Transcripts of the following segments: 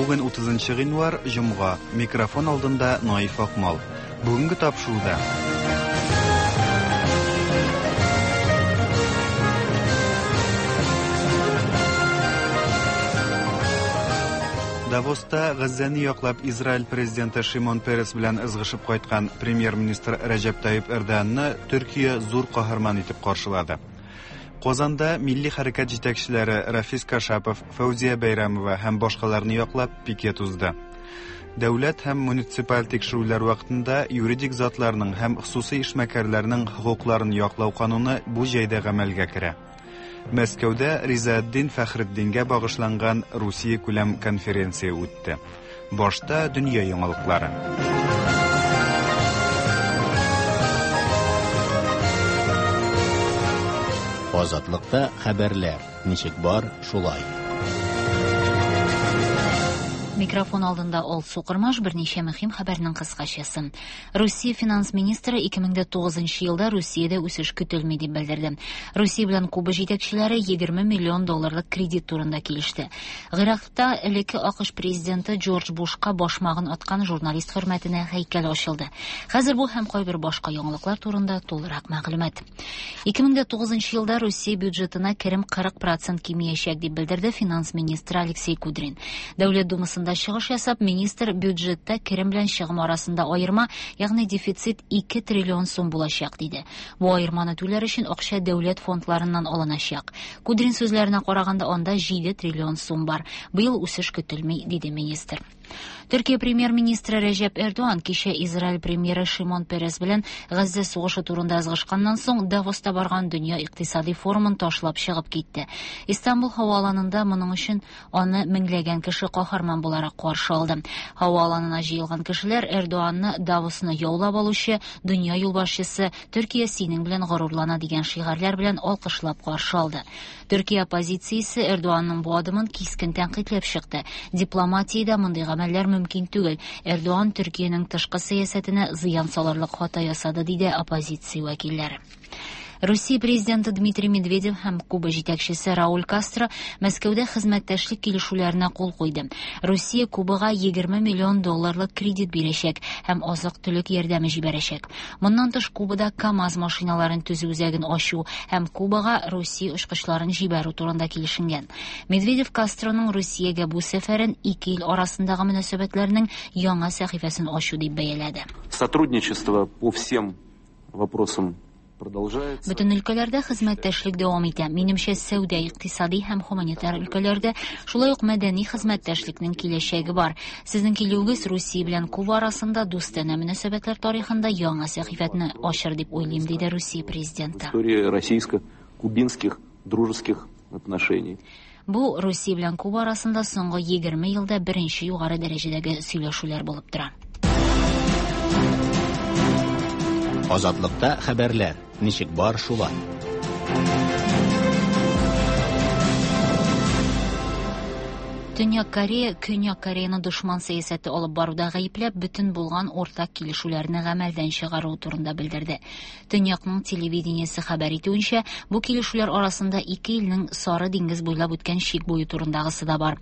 Бүген 30 гыйнвар, җомга. Микрофон алдында Наиф Акмал. Бүгенге тапшыруда Давоста Газзәне яклап Израиль президенты Шимон Перес белән ызгышып кайткан премьер-министр Рәҗәп Тайип Эрдоганны Төркия зур каһарман итеп каршылады. Казанда милли хәрәкәт җитәкчеләре Рафис Кашапов, Фәүзия Бәйрәмова һәм башкаларны яклап пикет узды. Дәүләт һәм муниципаль тикшерүләр вакытында юридик затларның һәм хосусый эшмәкәрләрнең хокукларын яклау кануны бу җәйдә гамәлгә керә. Мәскәүдә Ризаэтдин Фәхретдингә багышланган Русия күләм конференция үтте. Башта дөнья яңалыклары. Азатлыкта хәбәрләр ничек бар, шулай. Микрофон алдында Алсу Кырмаш берничә мөһим хәбәрнең кыскачасы. Русия финанс министры 2009 елда Русиядә үсеш көтелми дип белдерде. Русия белән Куба җитәкчеләре 20 миллион долларлык кредит турында килеште. Гыйракта элекке АКШ президенты Джордж Бушка башмагын аткан журналист хөрмәтенә һәйкәл ачылды. Хәзер бу һәм кайбер башка яңалыклар турында тулырак мәгълүмат. 2009 елда Русия бюджетына керем 40% кимиячәк дип белдерде финанс министры Алексей Кудрин. Дәүләт Думасында чыгыш ясап, министр бюджетта керем белән чыгым арасында аерма, ягъни дефицит 2 триллион сум булачак диде. Бу аерманы түләр өчен акча дәүләт фондларыннан алыначак. Кудрин сүзләренә караганда, анда 7 триллион сум бар. Быел үсеш көтелми, диде министр. Төркия премьер-министры Рәҗәп Эрдоган кичә Израиль премьеры Шимон Перес белән Газзә сугышы турында ызгышканнан соң Давоста барган дөнья икътисади форумын ташлап чыгып китте. Истанбул һава аланында моның өчен аны меңләгән кеше каһарман буларак каршы алды. Һава аланына җыелган кешеләр Эрдоганны Давосны яулап алучы, дөнья юлбашчысы, Төркия синең белән горурлана дигән шигарьләр белән алкышлап каршы алды. Төркия оппозициясе Эрдоганның бу адымын кискен тәнкыйтьләп чыкты. Дипломатиядә мондый гамәлләр мөмкин түгел. Эрдоган Төркиянең тышкы сәясәтенә зыян салырлык хата ясады, диде оппозиция вәкилләре. Русия президенты Дмитрий Медведев һәм Куба җитәкчесе Рауль Кастро Мәскәүдә хезмәттәшлек килешүләренә кул куйды. Русия Кубага 20 миллион долларлык кредит бирәчәк һәм азык-төлек ярдәме җибәрәчәк. Моннан тыш Кубада КАМАЗ машиналарын төзү үзәген ачу һәм Кубага Русия очкычларын җибәрү турында килешенгән. Медведев Кастроның Русиягә бу сәфәрен ике ил арасындагы мөнәсәбәтләрнең яңа сәхифәсен ачу дип бәяләде. Сотрудничество по всем вопросам продолжается. Бөтен өлкәләрдә хезмәттәшлек дәвам итә. Минемчә, сәүдә, икътисади һәм һуманитар өлкәләрдә, шулай ук мәдәни хезмәттәшлекнең киләчәге бар. Сезнең килүегез Русия белән Куба арасында дустанә мөнәсәбәтләр тарихында яңа сәхифәтне ачыр дип уйлыйм, диде Русия президенты. История российско-кубинских дружеских отношений. Бу Русия белән Куба арасында соңгы 20 елда беренче югары дәрәҗәдәге сөйләшүләр булып тора. Азатлыкта хәбәрләр ничек бар шулай. Төньяк Корея Көньяк Кореяны дошман сәясәте алып баруда гаепләп, бөтен булган уртак килешүләрне гамәлдән чыгаруы турында белдерде. Төньякның телевидениесе хәбәр итүенчә, бу килешүләр арасында ике илнең Сары диңгез буйлап үткән чик буе турындагысы да бар.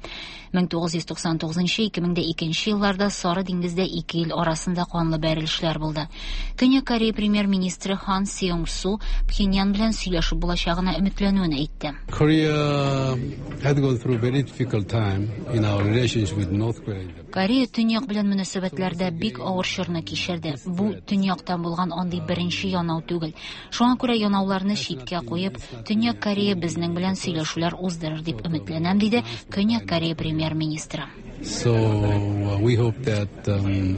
1999-2002 елларда Сары диңгездә ике ил арасында канлы бәрелешләр булды. Көньяк Корея премьер-министры Хан Сеung Су Пхеньян белән сөйләшеп булачагына өметләнүен әйтте. Korea had gone through very difficult time in our relations with North Korea. Корея Төньяк белән мөнәсәбәтләрдә бик авыр чорны кичерде. Бу Төньяктан булган андый беренче янау түгел. Шуңа күрә янауларны читкә куеп, Төньяк Корея безнең белән сөйләшүләр уздырыр дип өметләнәм, диде Көньяк Корея премьер-министры. So we hope that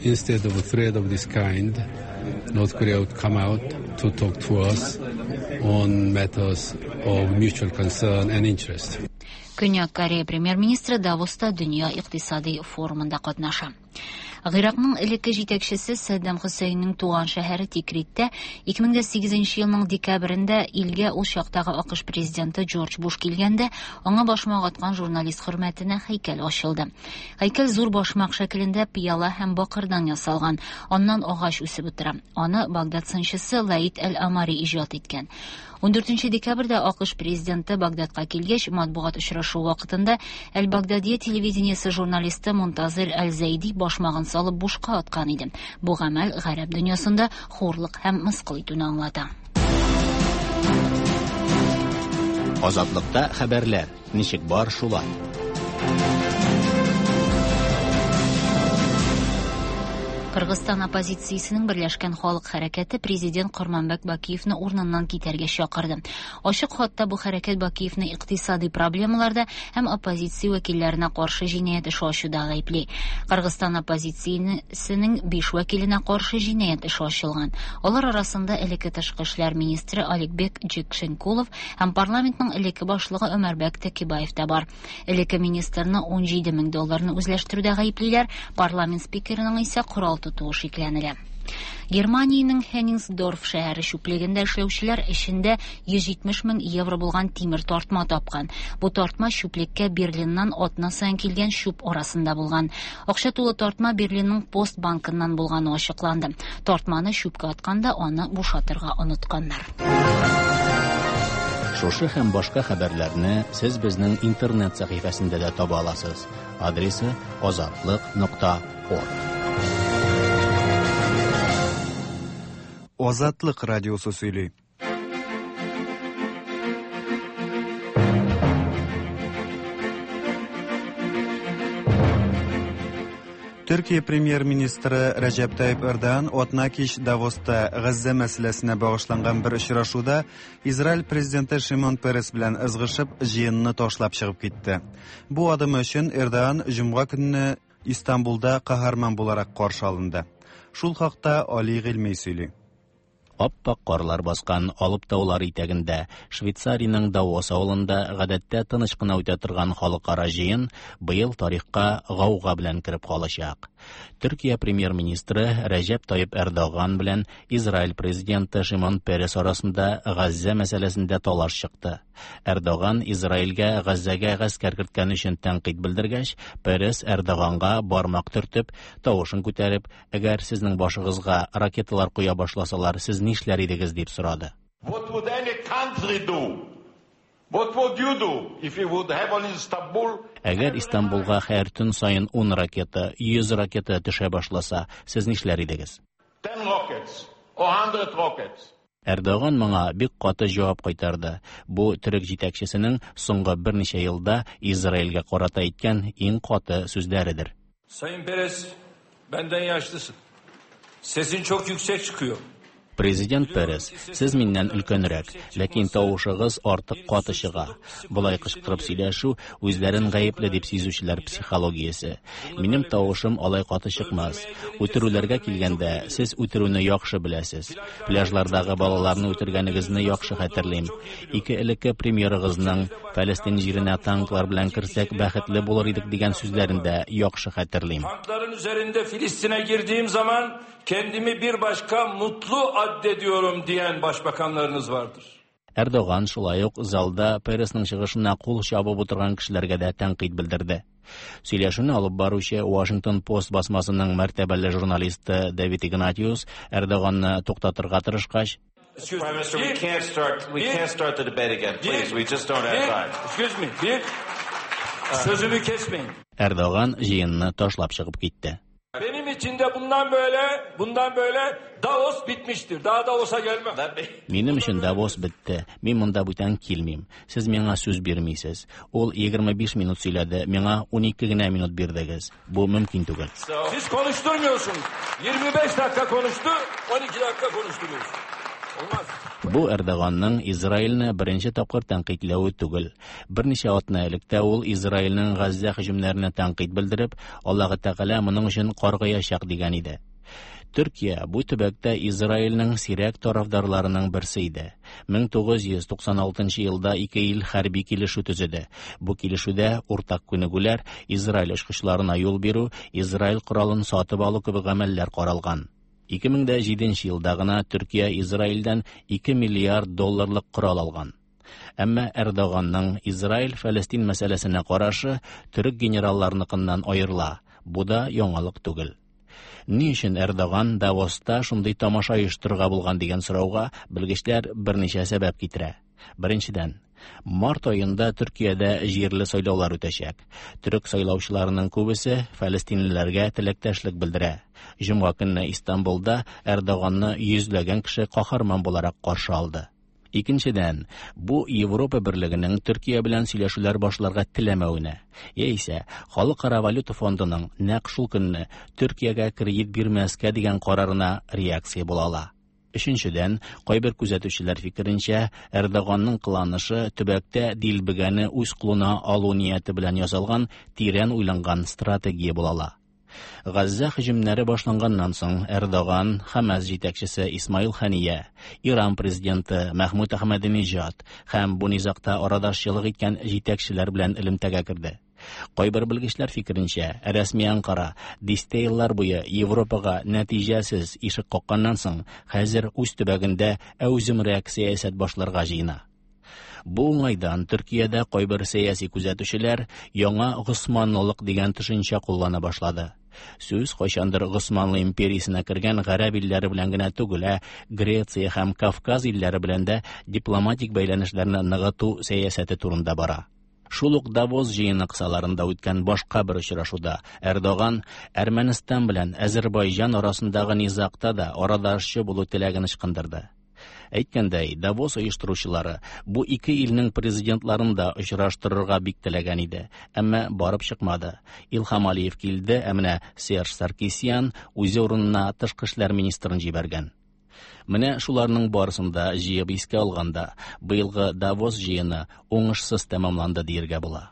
instead of a threat of this kind, North Korea would come out to talk to us on matters of mutual concern and interest. Көньяк Корея премьер-министры Давоста дөнья икътисади форумында катнаша. Гыйракның элекке җитәкчесе Саддам Хөсәйннең туган шәһәре Тикриттә 2008 елның декабрендә илгә ул чактагы АКШ президенты Джордж Буш килгәндә, аңа башмак аткан журналист хөрмәтенә һәйкәл ачылды. Һәйкәл зур башмак шәкелендә пыяла һәм бакырдан ясалган. Аннан агач үсеп утыра. Аны Багдад сынчысы Лаид Әл-Амари иҗат иткән. 14 декабрьдә АКШ президенты Багдадка килгәч, матбугат очрашуы вакытында Әл-Багдадия телевидениесе журналисты Мунтазир Әл-Зәйди башмагын салып бушка аткан иде. Бу гамәл гарәп дөньясында хурлык һәм мыскыл итүне аңлата. Азатлыкта хәбәрләр ничек бар шулай. Кыргызстан оппозициясенең Берләшкән халык хәрәкәте президент Корманбек Бакиевны урыныннан китәргә чакырды. Ачык хатта бу хәрәкәт Бакиевны икътисади проблемаларда һәм оппозиция вәкилләренә каршы җинаять эше ачуда гаепли. Кыргызстан оппозициясенең 5 вәкиленә каршы җинаять эше ачылган. Алар арасында элекке тышкы эшләр министры Аликбек Джекшенкулов һәм парламентның элекке башлыгы Өмәрбәк Текебаев та бар. Элекке министрны 17 мең долларны үзләштерүдә гаеплиләр, парламент спикерының исә корал тотуы шикләнелә. Германиянең Хенниngsdorf шәһәре чүплегендә эшләүчеләр эчендә 170 мең евро булган тимер тартма тапкан. Бу тартма чүплеккә Берлиннан атна саен килгән чүп арасында булган. Акча тулы тартма Берлинның Пост банкыннан булганы ачыкланды. Тартманы чүпкә атканда аны бушатырга онытканнар. Шушы һәм башка хәбәрләрне сез безнең интернет сәхифәсендә дә таба аласыз. Адресы azatliq.org. Азатлык радиосы сөйли. Төркия премьер-министры Рәҗәп Тайип Эрдоган атна кич Давоста Газзә мәсьәләсенә багышланган бер очрашуда Израиль президенты Шимон Перес белән ызгышып, җыенны ташлап чыгып китте. Бу адымы өчен Эрдоган җомга көнне Истанбулда каһарман буларак каршы алынды. Шул хакта Али Гыйльми сөйли. Аппак карлар баскан Алып таулар итәгендә Швейцариянең Давос авылында гадәттә тыныч кына үтә торган халыкара җыен быел тарихка гауга белән кереп калачак. Төркия премьер-министры Рәҗәп Тайип Эрдоган белән Израиль президенты Шимон Перес арасында Газзә мәсьәләсендә талаш чыкты. Эрдоган Израильгә Газзәгә гаскәр керткән өчен тәнкыйть белдергәч, Перес Эрдоганга бармак төртеп, тавышын күтәреп, әгәр сезнең башыгызга ракеталар куя башласалар, сез нишләр идегез дип сорады. What would any country do? What would you do if you would have on Istanbul? Әгәр Истанбулга һәр төн саен 10 ракета, 100 ракета төшә башласа, сез нишләр идегез? 10 rockets or 100 rockets. Эрдоган моңа бик каты җавап кайтарды. Бу төрек җитәкчесенең соңгы берничә елда Израильгә карата әйткән иң каты сүзләредер. Sayın Peres, benden yaşlısın. Sesin çok yüksek çıkıyor. Президент Перес, сез миннән өлкәнрәк, ләкин тавышыгыз артык каты чыга. Болай кычкырып сөйләшү үзләрен гаепле дип сизүчеләр психологиясе. Минем тавышым алай каты чыкмас. Үтерүләргә килгәндә, сез үтерүне яхшы беләсез. Пляжлардагы балаларны үтергәнегезне яхшы хәтерлим. Ике элекке премьерыгызның Фәлестин җиренә танклар белән керсәк бәхетле булыр идек дигән сүзләрен дә яхшы хәтерлим. Tankların üzerinde Filistin'e girdiğim zaman kendimi bir başka mutlu addediyorum diyen başbakanlarınız vardır. Эрдоган шулай ук залда Пересның чыгышына кул чабып утырган кешеләргә дә тәнкыйть белдерде. Сөйләшүне алып баручы Washington Post басмасының мәртәбәле журналисты Давид Игнатиус Эрдоганны туктатырга тырышкач, Excuse Prime me. Minister, we can't start. We can't start the debate again, please. We just don't have time. Excuse me. Bir, sözümü kesmeyin. Эрдоган җыенны ташлап чыгып китте. Benim için de bundan böyle Davos bitmiştir. Daha Davos'a gelmem. Минем өчен Давос бетте. Мин монда бүтән килмим. Сез миңа сүз бирмисез. Ул 25 минут сөйләде, миңа 12 генә минут бирдегез. Бу мөмкин түгел. Siz konuşturmuyorsunuz. 25 dakika konuştu, 12 dakika konuşturuyorsunuz. Olmaz. Бу Эрдоганның Израильне беренче тапкыр тәнкыйтьләве түгел. Берничә атна элек тә ул Израильнең Газзә һөҗүмнәренә тәнкыйть белдереп, Аллаһы Тәгалә моның өчен каргаячак дигән иде. Төркия бу төбәктә Израильнең сирәк тарафдарларының берсе иде. 1996 елда ике ил хәрби килешү төзеде. Бу килешүдә уртак күнегүләр, Израиль очкычларына юл бирү, Израиль коралын сатып алу кебек гамәлләр каралган. 2007 елда гына Төркия Израильдән 2 миллиард долларлык корал алган. Әмма Эрдоганның Израиль-Фәлестин мәсьәләсенә карашы төрек генералларыныкыннан аерыла. Бу да яңалык түгел. Ни өчен Эрдоган Давоста шундый тамаша оештырырга булган дигән сорауга белгечләр берничә сәбәп китерә. Беренчедән, март аенда Төркиядә җирле сайлаулар үтәчәк. Төрек сайлаучыларының күбесе фәлестинлеләргә теләктәшлек белдерә. Җомга көнне Истанбулда Эрдоганны йөзләгән кеше каһарман буларак каршы алды. Икенчедән, бу Европа берлегенең Төркия белән сөйләшүләр башларга теләмәвенә, яисә Халыкара валюта фондының нәкъ шул көнне Төркиягә кредит бирмәскә дигән карарына реакция була ала. Өченчедән, кайбер күзәтүчеләр фикеренчә, Эрдоганның кыланышы төбәктә дилбегәне үз кулына алу нияте белән ясалган тирән уйланган стратегия була ала. Газзә һөҗүмнәре башланганнан соң Эрдоган, Хамас җитәкчесе Исмаил Хания, Иран президенты Мәхмүд Әхмәдинежад һәм бу низагта арадашчылык иткән җитәкчеләр белән элемтәгә керде. Кайбер белгечләр фикеренчә, рәсми Анкара дистә еллар буе Европага нәтиҗәсез ишек какканнан соң, хәзер үз төбәгендә әүземрәк сәясәт башларга җыена. Бу уңайдан Төркиядә кайбер сәяси күзәтүчеләр яңа Госманлылык дигән төшенчә куллана башлады. Сүз кайчандыр Госманлы империясенә кергән гарәп илләре белән генә түгел, ә Греция һәм Кавказ илләре белән дә дипломатик бәйләнешләрне ныгыту сәясәте турында бара. Шул ук Давос җыены кысаларында үткән башка бер очрашуда Эрдоган Әрмәнстан белән Әзербайҗан арасындагы низагта да арадашчы булу теләген ычкындырды. Әйткәндәй, Давос оештыручылары бу ике илнең президентларын да очраштырырга бик теләгән иде, әмма барып чыкмады. Илһам Алиев килде, ә менә Серж Саркисян үзе урынына тышкы эшләр министрын җибәргән. Менә шуларның барысын да җыеп искә алганда, быелгы Давос җыены уңышсыз тәмамланды диергә була.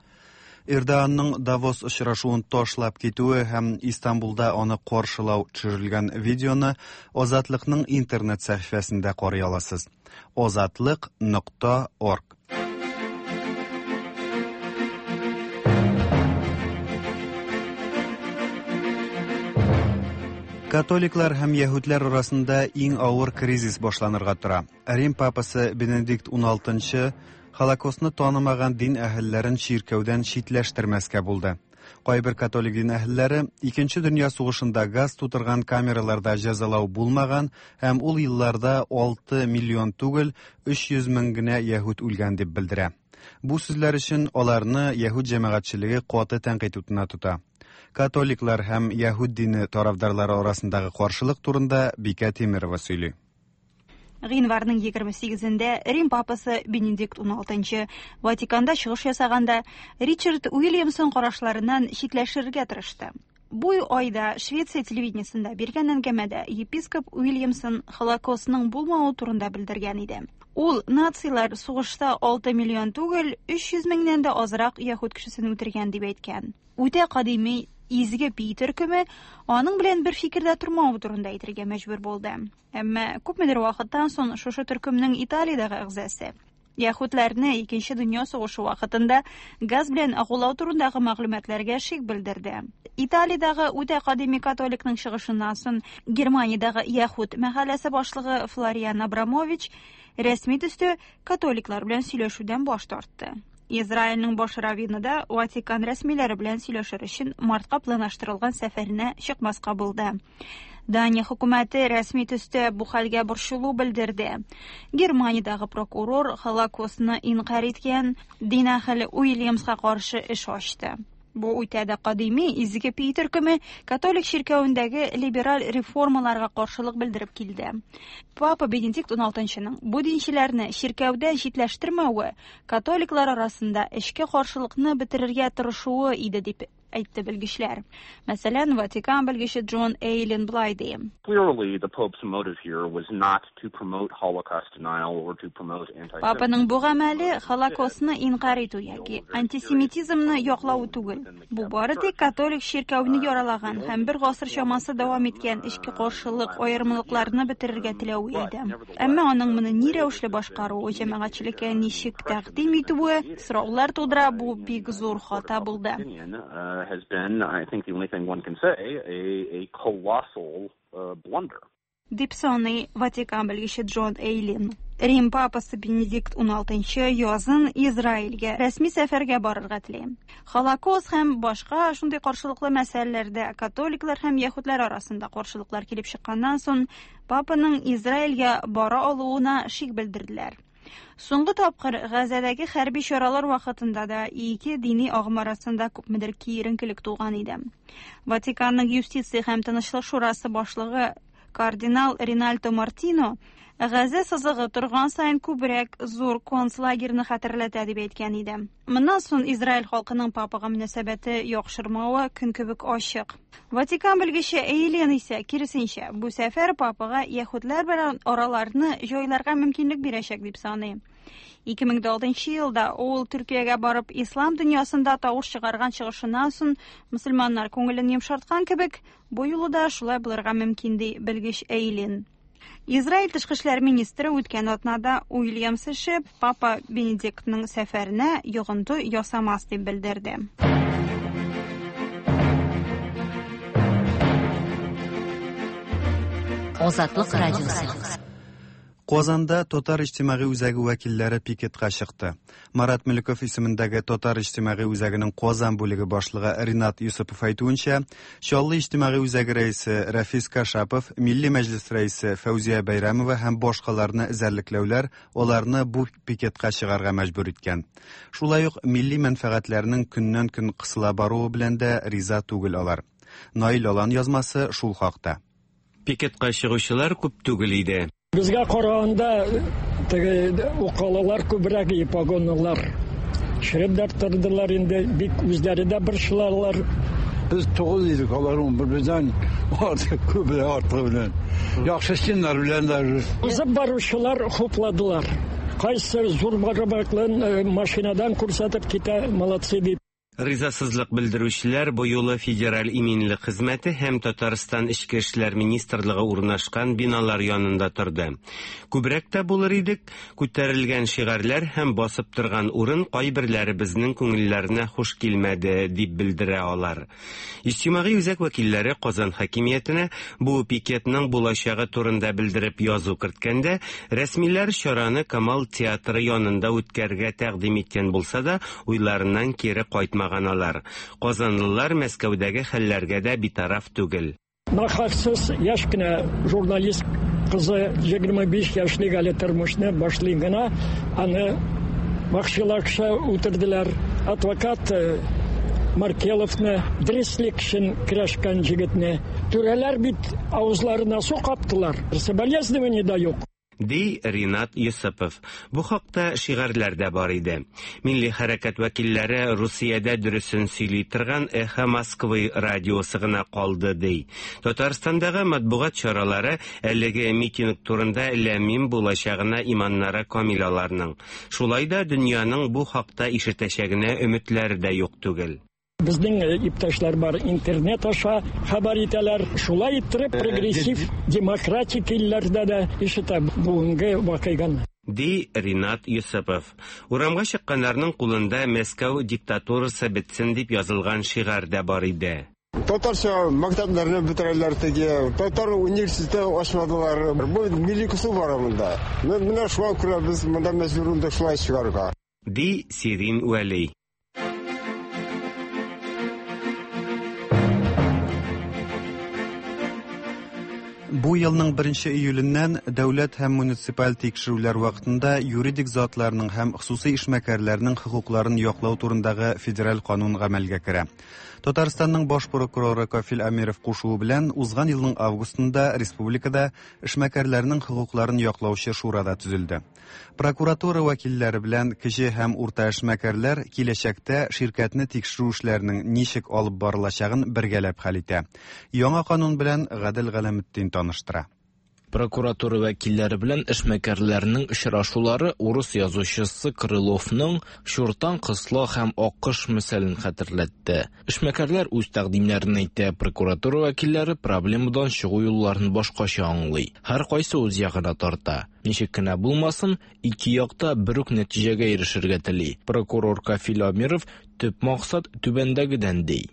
Эрдоганның Давос очрашуын ташлап китүе һәм Истанбулда аны каршылау төшерелгән видеоны Азатлыкның интернет сәхифәсендә карый аласыз. Азатлык.орг. Католиклар һәм яһүдләр арасында иң авыр кризис башланырга тора. Рим папасы Бенедикт XVI Холокостны танымаган дин әһелләрен чиркәүдән читләштермәскә булды. Кайбер католик дин әһелләре Икенче дөнья сугышында газ тутырган камераларда җәзалау булмаган һәм ул елларда 6 миллион түгел, 300 мең генә яһүд үлгән дип белдерә. Бу сүзләр өчен аларны яһүд җәмәгатьчелеге каты тәнкыйть утына тота. Католиклар һәм яһүд дине тарафдарлары арасындагы каршылык турында Бикә Тимирова сөйли. Гыйнварның 28-ндә Рим папасы Бенедикт XVI Ватиканда чыгыш ясаганда Ричард Уильямсон карашларыннан читләшергә тырышты. Бу айда Швеция телевидениесендә биргән әңгәмәдә епископ Уильямсон Холокостның булмавы турында белдергән иде. Ул нацилар сугышта 6 миллион түгел, 300 меңнән дә азрак яһүд кешесен үтергән дип әйткән. Үтә кадими Изге Пий төркеме аның белән бер фикердә тормавы турында әйтергә мәҗбүр булды. Әмма күпмедер вакыттан соң шушы төркемнең Италиядәге әгъзасы яһүдләрне Икенче дөнья сугышы вакытында газ белән агулау турындагы мәгълүматларга шик белдерде. Италиядәге үтә кадими католикның чыгышыннан соң Германиядәге яһүд мәхәлләсе башлыгы Флориан Абрамович рәсми төстә католиклар белән сөйләшүдән баш тартты. Израильнең баш раввины да Ватикан рәсмиләре белән сөйләшер өчен мартка планлаштырылган сәфәренә чыкмаска булды. Дания хөкүмәте рәсми төстә бу хәлгә борчылу белдерде. Германиядәге прокурор Холокостны инкарь иткән дин әһеле Уильямска каршы эш ачты. Бу үтә дә кадими Изге Пий төркеме католик чиркәвендәге либераль реформаларга каршылык белдереп килде. Папа Бенедикт XVI-ның бу динчеләрне чиркәүдә читләштермәве католиклар арасында эчке каршылыкны бетерергә тырышуы иде дип әйтте белгечләр. Мәсәлән, Ватикан белгече Джон Эйлин былай ди. Clearly, the Pope's motive here was not to promote Holocaust denial or to promote anti Папаның бу гамәле Холокостны инкарь итү яки антисемитизмны яклау түгел. Бу бары тик католик чиркәүне яралаган һәм бер гасыр чамасы дәвам иткән эчке каршылык аермалыкларны бетерергә теләве иде. Әмма аның моны ни рәвешле башкаруы, җәмәгатьчелеккә ничек тәкъдим итүе сораулар тудыра, бу бик зур хата булды. Has been, I think the only thing one can say, a colossal blunder. Дип саный Ватикан белгече Джон Эйлин. Рим папасы Бенедикт XVI язын Израильгә рәсми сәфәргә барырга тели. Холокост һәм башка шундый каршылыклы мәсьәләләрдә католиклар һәм яһүдләр арасында каршылыклар килеп чыкканнан соң, папаның Израильгә бара алуына шик белдерделәр. Соңгы тапкыр Газәдәге хәрби чаралар вакытында да ике дини агым арасында күпмедер киеренкелек туган иде. Ватиканның юстиция һәм тынычлык шурасы башлыгы кардинал Ринальдо Мартино Газә сызыгы торган саен күбрәк зур концлагерьны хәтерләтә дип әйткән иде. Моннан соң Израиль халкының папага мөнәсәбәте яхшырмавы көн кебек ачык. Ватикан белгече Эйлен исә, киресенчә, бу сәфәр папага яһүдләр белән араларны җайларга мөмкинлек бирәчәк дип саный. 2006 елда ул Төркиягә барып ислам дөньясында тавыш чыгарган чыгышыннан соң мөселманнар күңелен йомшарткан кебек, бу юлы да шулай булырга мөмкин ди белгеч Эйлин. Израиль тышкы эшләр министры үткән атнада Уильямс эше Папа Бенедиктның сәфәренә йогынты ясамас дип белдерде. Азатлык радиосы. Казанда Татар иҗтимагый үзәге вәкилләре пикетка чыкты. Марат Мөлеков исемендәге Татар иҗтимагый үзәгенең Казан бүлеге башлыгы Ринат Юсупов әйтүенчә, Чаллы иҗтимагый үзәге рәисе Рафис Кашапов, Милли мәҗлес рәисе Фәүзия Бәйрәмова һәм башкаларны эзәрлекләүләр аларны бу пикетка чыгарга мәҗбүр иткән. Шулай ук милли мәнфәгатьләрнең көннән-көн кысыла баруы белән дә риза түгел алар. Наил Алан язмасы шул хакта. Пикетка чыгучылар күп түгел иде. Безгә караганда теге укалалар күбрәк и погонлылар. Череп дә тордылар инде, бик үзләре дә борчылалар. Без 9 идек, алар 11 бездән артык күбрәк артыгы белән. Яхшы стеннар белән даже. Узып баручылар хупладылар. Кайсы зур бармаклын машинадан күрсәтеп китә, молодцы дип. Ризасызлык белдерүчеләр бу юлы Федераль иминлек хезмәте һәм Татарстан Эчке эшләр министрлыгы урнашкан биналар янында торды. Күбрәк тә булыр идек, күтәрелгән шигарьләр һәм басып торган урын кайберләребезнең күңелләренә хуш килмәде, дип белдерә алар. Иҗтимагый үзәк вәкилләре Казан хакимиятенә бу пикетның булачагы турында белдереп язу керткәндә, рәсмиләр чараны Камал театры янында үткәрергә тәкъдим иткән булса да, уйларыннан кире кайтмаган алар. Казанлылар Мәскәүдәге хәлләргә дә битараф түгел. Нахаксыз яшь кенә журналист кызы 25 яшьлек әле тормышны башлый гына, аны вакчыларча үтерделәр. Адвокат Маркеловны, дөреслек өчен көрәшкән җегетне. Түрәләр бит авызларына су каптылар. Соболезнование да юк. Ди Ринат Йосыпов. Бу хакта шигарьләр дә бар иде. Милли хәрәкәт вәкилләре Русиядә дөресен сөйли торган Эхо Москвы радиосы гына калды ди. Татарстандагы матбугат чаралары әлеге митинг турында ләмим булачагына иманнары камил аларның. Шулай да дөньяның бу хакта ишетәчәгенә өметләре дә юк түгел. Безнең иптәшләр бар, интернет аша хәбәр итәләр. Шулай иттереп прогрессив демократик илләрдә дә ишетә бүгенге вакыйганы. Ди Ринат Юсупов. Урамга чыкканнарның кулында Мәскәү диктатурасы бетсен дип язылган шигарь дә бар иде. Татарча мәктәпләрне бетерәләр теге, татар университеты ачмадылар. Бу милли кысу бар монда. Менә шуңа күрә без монда мәҗбүр булдык шулай чыгарга. Ди Сирин Вәли. Бу елның 1 июленнән дәүләт һәм муниципаль тикшерүләр вакытында юридик затларның һәм хосусый эшмәкәрләрнең хокукларын яклау турындагы федераль канун гамәлгә керә. Татарстанның баш прокуроры Кафил Әмиров кушуы белән узган елның августында республикада эшмәкәрләрнең хокукларын яклаучы шура да төзелде. Прокуратура вәкилләре белән кече һәм урта эшмәкәрләр киләчәктә ширкәтне тикшерү эшләренең ничек алып барылачагын бергәләп хәл итә. Яңа канун белән Гадел Галәметдин таныштыра. Прокуратура вәкилләре белән эшмәкәрләрнең очрашулары урыс язучысы Крыловның Чуртан кысла һәм Аккош мисалын хәтерләтте. Эшмәкәрләр үз тәкъдимнәрен әйтә, прокуратура вәкилләре проблемадан чыгу юлларын башкача аңлый. Һәр кайсы үз ягына тарта. Ничек кенә булмасын, ике якта бер үк нәтиҗәгә ирешергә тели. Прокурор Кафил Амиров төп максат түбәндәгедән ди.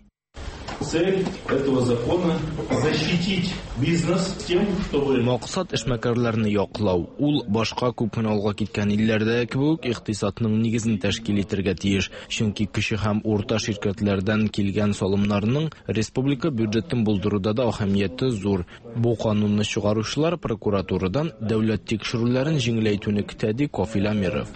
Цель этого закона – защитить бизнес тем, чтобы... Максат эшмәкәрләрне яклау. Ул башка күп кенә алга киткән илләрдәге кебек үк икътисадның нигезен тәшкил итәргә тиеш. Чөнки кече һәм урта ширкәтләрдән килгән салымнарның республика бюджетын булдыруда да әһәмияте зур. Бу канунны чыгаручылар прокуратурадан дәүләт тикшерүләрен җиңеләйтүне көтә, ди Кафил Әмиров.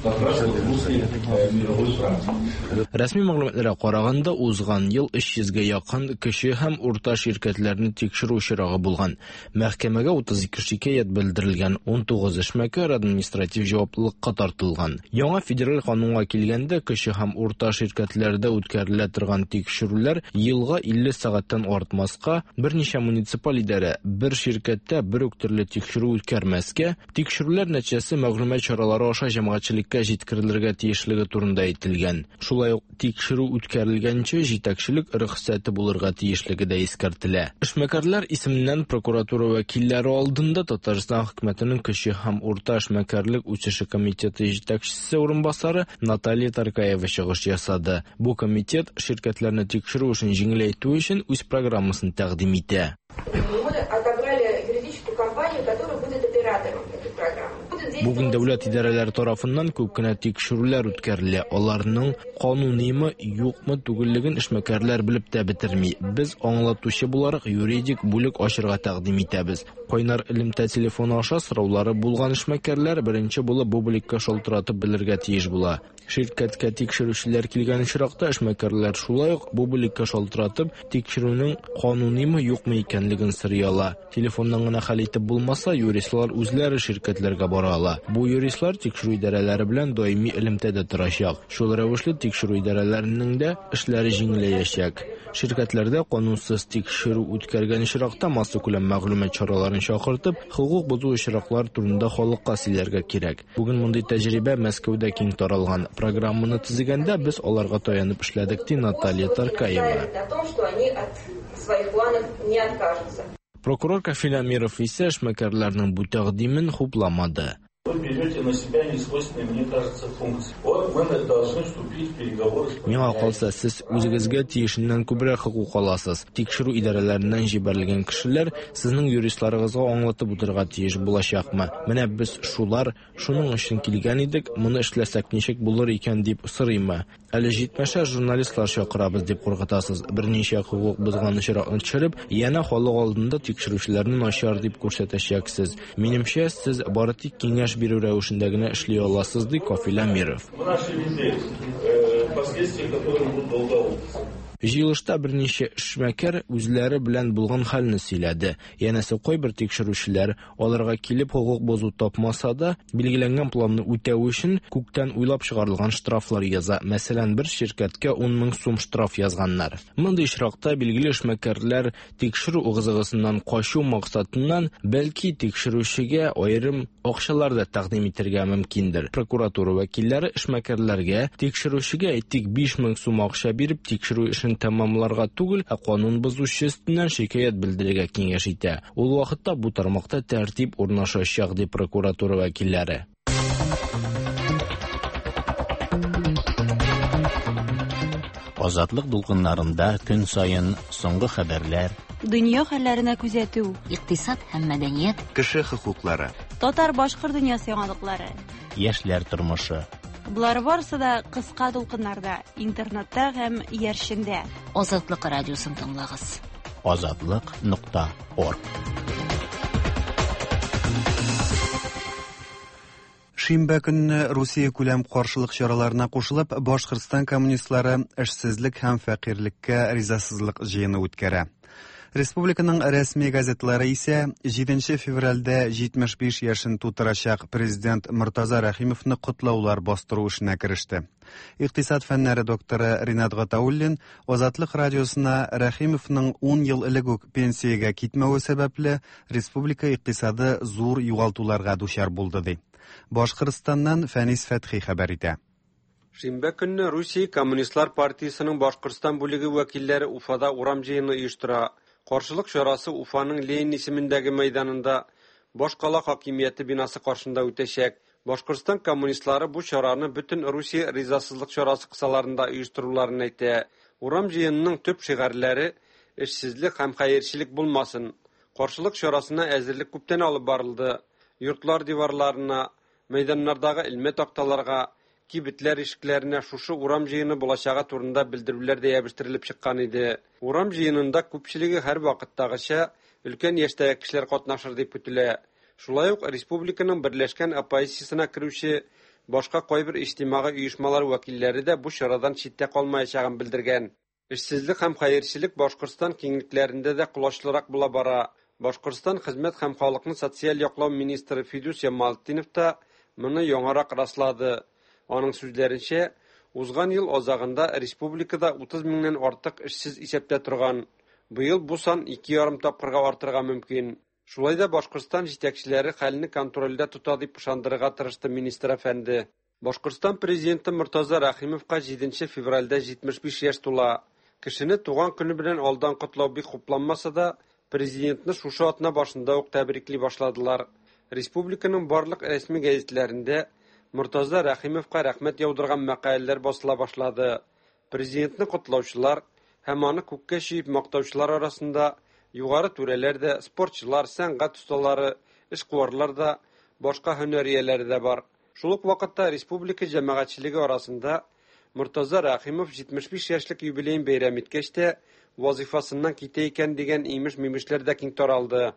Как раз вот в русле мировой практики. Рәсми мәгълүматларга караганда, узган ел 300 гә якын кече һәм урта ширкәтләрне тикшерү очрагы булган. Мәхкәмәгә 32 шикаять белдерелгән, 19 эшмәкәр административ җаваплылыкка тартылган. Яңа федераль канунга килгәндә, кече һәм урта ширкәтләрдә үткәрелә торган тикшерүләр елга 50 сәгатьтән артмаска, берничә муниципаль идарә бер ширкәттә бер үк төрле тикшерү үткәрмәскә, тикшерүләр нәтиҗәсе мәгълүмат чаралары аша җәмәгатьчелеккә җиткерелергә тиешлеге турында әйтелгән. Шулай ук тикшерү үткәрелгәнче җитәкчелек рөхсәте булырга тиешлеге дә искәртелә. Эшмәкәрләр исеменнән прокуратура вәкилләре алдында Татарстан хөкүмәтенең кече һәм урта эшмәкәрлек үсеше комитеты җитәкчесе урынбасары Наталья Таркаева чыгыш ясады. Бу комитет ширкәтләрне тикшерү эшен җиңеләйтү өчен үз программасын тәкъдим итә. Мы отобрали юридическую компанию, которая будет оператором этой программы. Бүген дәүләт идарәләре тарафыннан күп кенә тикшерүләр үткәрелә. Аларның кануныймы, юкмы түгеллеген эшмәкәрләр белеп тә бетерми. Без аңлатучы буларак юридик бүлек ачырга тәкъдим итәбез. Кайнар элемтә телефоны аша сораулары булган эшмәкәрләр беренче булып бу бүлеккә шалтыратып белергә тиеш була. Ширкәткә тикшерүчеләр килгән очракта эшмәкәрләр шулай ук бу бүлеккә шалтыратып, тикшерүнең кануныймы, юкмы икәнлеген сорый ала. Телефоннан гына хәл итеп булмаса, юристлар үзләре ширкәтләргә бара ала. Бу юристлар тикшерү идарәләре белән даими элемтәдә торачак. Шул рәвешле тикшерү идарәләренең дә эшләре җиңеләячәк. Ширкәтләрдә канунсыз тикшерү үткәргән очракта массакүләм мәгълүмат чараларын чакыртып, хокук бозу очраклары турында халыкка сөйләргә кирәк. Бүген мондый тәҗрибә Мәскәүдә киң таралган. Программаны төзегәндә без аларга таянып эшләдек, ди Наталья Таркаева. О том, что они от своих планов не откажутся. Прокурор Кафил Әмиров исә эшмәкәрләрнең бу тәкъдимен хупламады. Вы берете на себя несвойственные, мне кажется, функции. Вот мы должны вступить в переговоры с Миңа калса, сез үзегезгә тиешеннән күбрәк хокук аласыз. Тикшерү идарәләреннән җибәрелгән кешеләр сезнең юристларыгызга аңлатып утырырга тиеш булачакмы? Менә без шулар, шуның өчен килгән идек, моны эшләсәк ничек булыр икән дип сорыймы? Әле җитмәсә журналистлар чакырабыз дип куркытасыз. Берничә хокук бозган очракны төшереп, янә халык алдында тикшерүчеләрне начар дип күрсәтәчәксез. Минемчә, сез бары тик киңәш бирү рәвешендә генә эшли аласыз, ди Кафил Әмиров. Мы нашли людей, последствия которых будут долгоупсы. Җыелышта берничә эшмәкәр үзләре белән булган хәлне сөйләде. Янәсе кайбер тикшерүчеләр аларга килеп хокук бозу тапмаса да, билгеләнгән планны үтәү өчен күктән уйлап чыгарылган штрафлар яза. Мәсәлән, бер ширкәткә 10 мең сум штраф язганнар. Мондый очракта билгеле эшмәкәрләр тикшерү ыгы-зыгысыннан качу максатыннан бәлки тикшерүчегә аерым акчалар да тәкъдим итәргә мөмкиндер. Прокуратура вәкилләре эшмәкәрләргә тикшерүчегә әйтик 5 мең сум акча биреп тикшерү эшен тәмамларга түгел, ә канун бозучы өстеннән шикаять белдерергә киңәш итә. Ул вакытта бу тармакта тәртип урнашачак, ди прокуратура вәкилләре. Азатлык дулкыннарында көн саен соңгы хәбәрләр, Дөнья хәлләренә күзәтү, икътисад һәм мәдәният, кеше хокуклары, татар-башкорт дөньясы яңалыклары, яшьләр тормышы. Болар барысы да кыска дулкыннарда, интернетта һәм иярчендә. Азатлык радиосын тыңлагыз. Азатлык.орг. Шимбә көнне Русия күләм каршылык чараларына кушылып, Башкортстан коммунистлары эшсезлек һәм фәкыйрьлеккә ризасызлык җыены үткәрә. Республиканың рәсми газетлары исә 7 февральдә 75 яшен тутырачак президент Мортаза Рәхимовны котлаулар бастыру эшенә кереште. Икътисад фәннәре докторы Ринат Гатауллин Азатлык радиосына Рәхимовның 10 ел элек үк пенсиягә китмәве сәбәпле республика икътисады зур югалтуларга дучар булды ди. Башкортстаннан Фәнис Фәтхи хәбәр итә. Шимбә көнне Русия Коммунистлар партиясенең Башкортстан бүлеге вәкилләре Уфада урам җыены оештыра. Каршылык чарасы Уфаның Ленин исемендәге мәйданында башкала хакимияте бинасы каршында үтәчәк. Башкортстан коммунистлары бу чараны бөтен Русия ризасызлык чарасы кысаларында оештыруларын әйтә. Урам җыенының төп шигарьләре эшсезлек һәм хәерчелек булмасын. Каршылык чарасына әзерлек күптән алып барылды. Йортлар диварларына, мәйданнардагы элмә такталарга, кибетләр ишекләренә шушы урам җыены булачагы турында белдерүләр дә ябештерелеп чыккан иде. Урам җыенында күпчелеге һәрвакыттагыча өлкән яшьтәге кешеләр катнашыр дип көтелә. Шулай ук республиканың берләшкән оппозициясенә керүче башка кайбер иҗтимагый оешмалар вәкилләре дә бу чарадан читтә калмаячагын белдергән. Эшсезлек һәм хәерчелек Башкортстан киңлекләрендә дә колачлырак була бара. Башкортстан хезмәт һәм халыкны социаль яклау министры Фидус Ямалтдинов та моны яңарак раслады. Аның сүзләренчә, узган ел азагында республикада 30 меңнән артык эшсез исәптә торган. Быел бу сан 2,5 тапкырга артырга мөмкин. Шулай да Башкортстан җитәкчеләре хәлне контрольдә тота дип ышандырырга тырышты министр әфәнде. Башкортстан президенты Мортаза Рәхимовка 7 февральдә 75 яшь тула. Кешене туган көне белән алдан котлау бик хупланмаса да, президентны шушы атна башында ук тәбрикли башладылар. Республиканың барлык рәсми гәзитләрендә Мортаза Рәхимовка рәхмәт яудырган мәкаләләр басыла башлады. Президентны котлаучылар һәм аны күккә чөеп мактаучылар арасында югары түрәләр дә, спортчылар, сәнгать осталары, эшкуарлар да, башка һөнәр ияләре дә бар. Шул ук вакытта республика җәмәгатьчелеге арасында Мортаза Рәхимов 75 яшьлек юбилеен бәйрәм иткәч тә вазифасыннан китә икән дигән имеш-мимешләр дә киң таралды.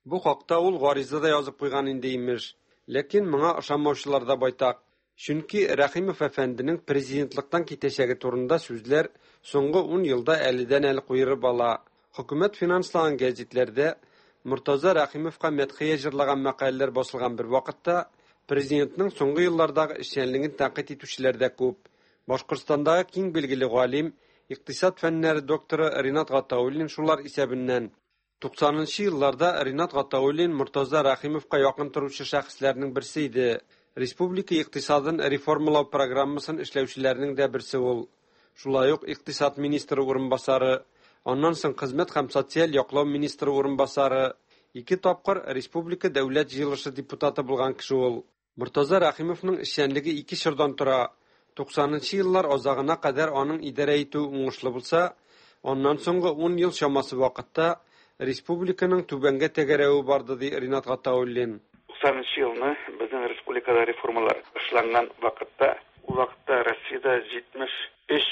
Бу хакта ул гариза да язып куйган инде имеш. Ләкин моңа ышанмаучылар да байтак. Чөнки Рәхимов әфәнденең президентлыктан китәчәге турында сүзләр соңгы 10 елда әледән-әле куерып ала. Хөкүмәт финанслаган гәзитләрдә Мортаза Рәхимовка мәдхия җырлаган мәкаләләр басылган бер вакытта президентның соңгы еллардагы эшчәнлеген тәнкыйть итүчеләр дә күп. Башкортстандагы киң билгеле галим, икътисад фәннәре докторы Ринат Гатауллин шулар исәбеннән. 90 елларда Ринат Гатауллин Мортаза Рәхимовка якын торучы шәхесләрнең берсе иде. Республика икътисадын реформалау программасын эшләүчеләрнең дә берсе ул. Шулай ук икътисад министры урынбасары, аннан соң хезмәт һәм социаль яклау министры урынбасары, ике тапкыр республика дәүләт җыелышы депутаты булган кеше ул. Мортаза Рәхимовның эшчәнлеге ике чордан тора. 90 еллар азагына кадәр аның идарә итүе уңышлы булса, аннан соңгы 10 ел чамасы вакытта республиканың түбәнгә тәгәрәве барды, ди Ринат Гатауллин. 90 елны безнең республикада реформалар эшләнгән вакытта, ул вакытта Россиядә 73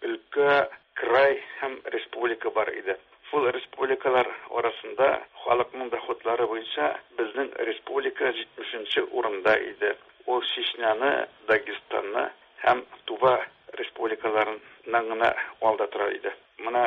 өлкә, край һәм республика бар иде. Шул республикалар арасында халыкның доходлары буенча безнең республика 70 урында иде. Ул Чечняны, Дагестанны һәм Тува республикаларыннан гына алда тора иде. Менә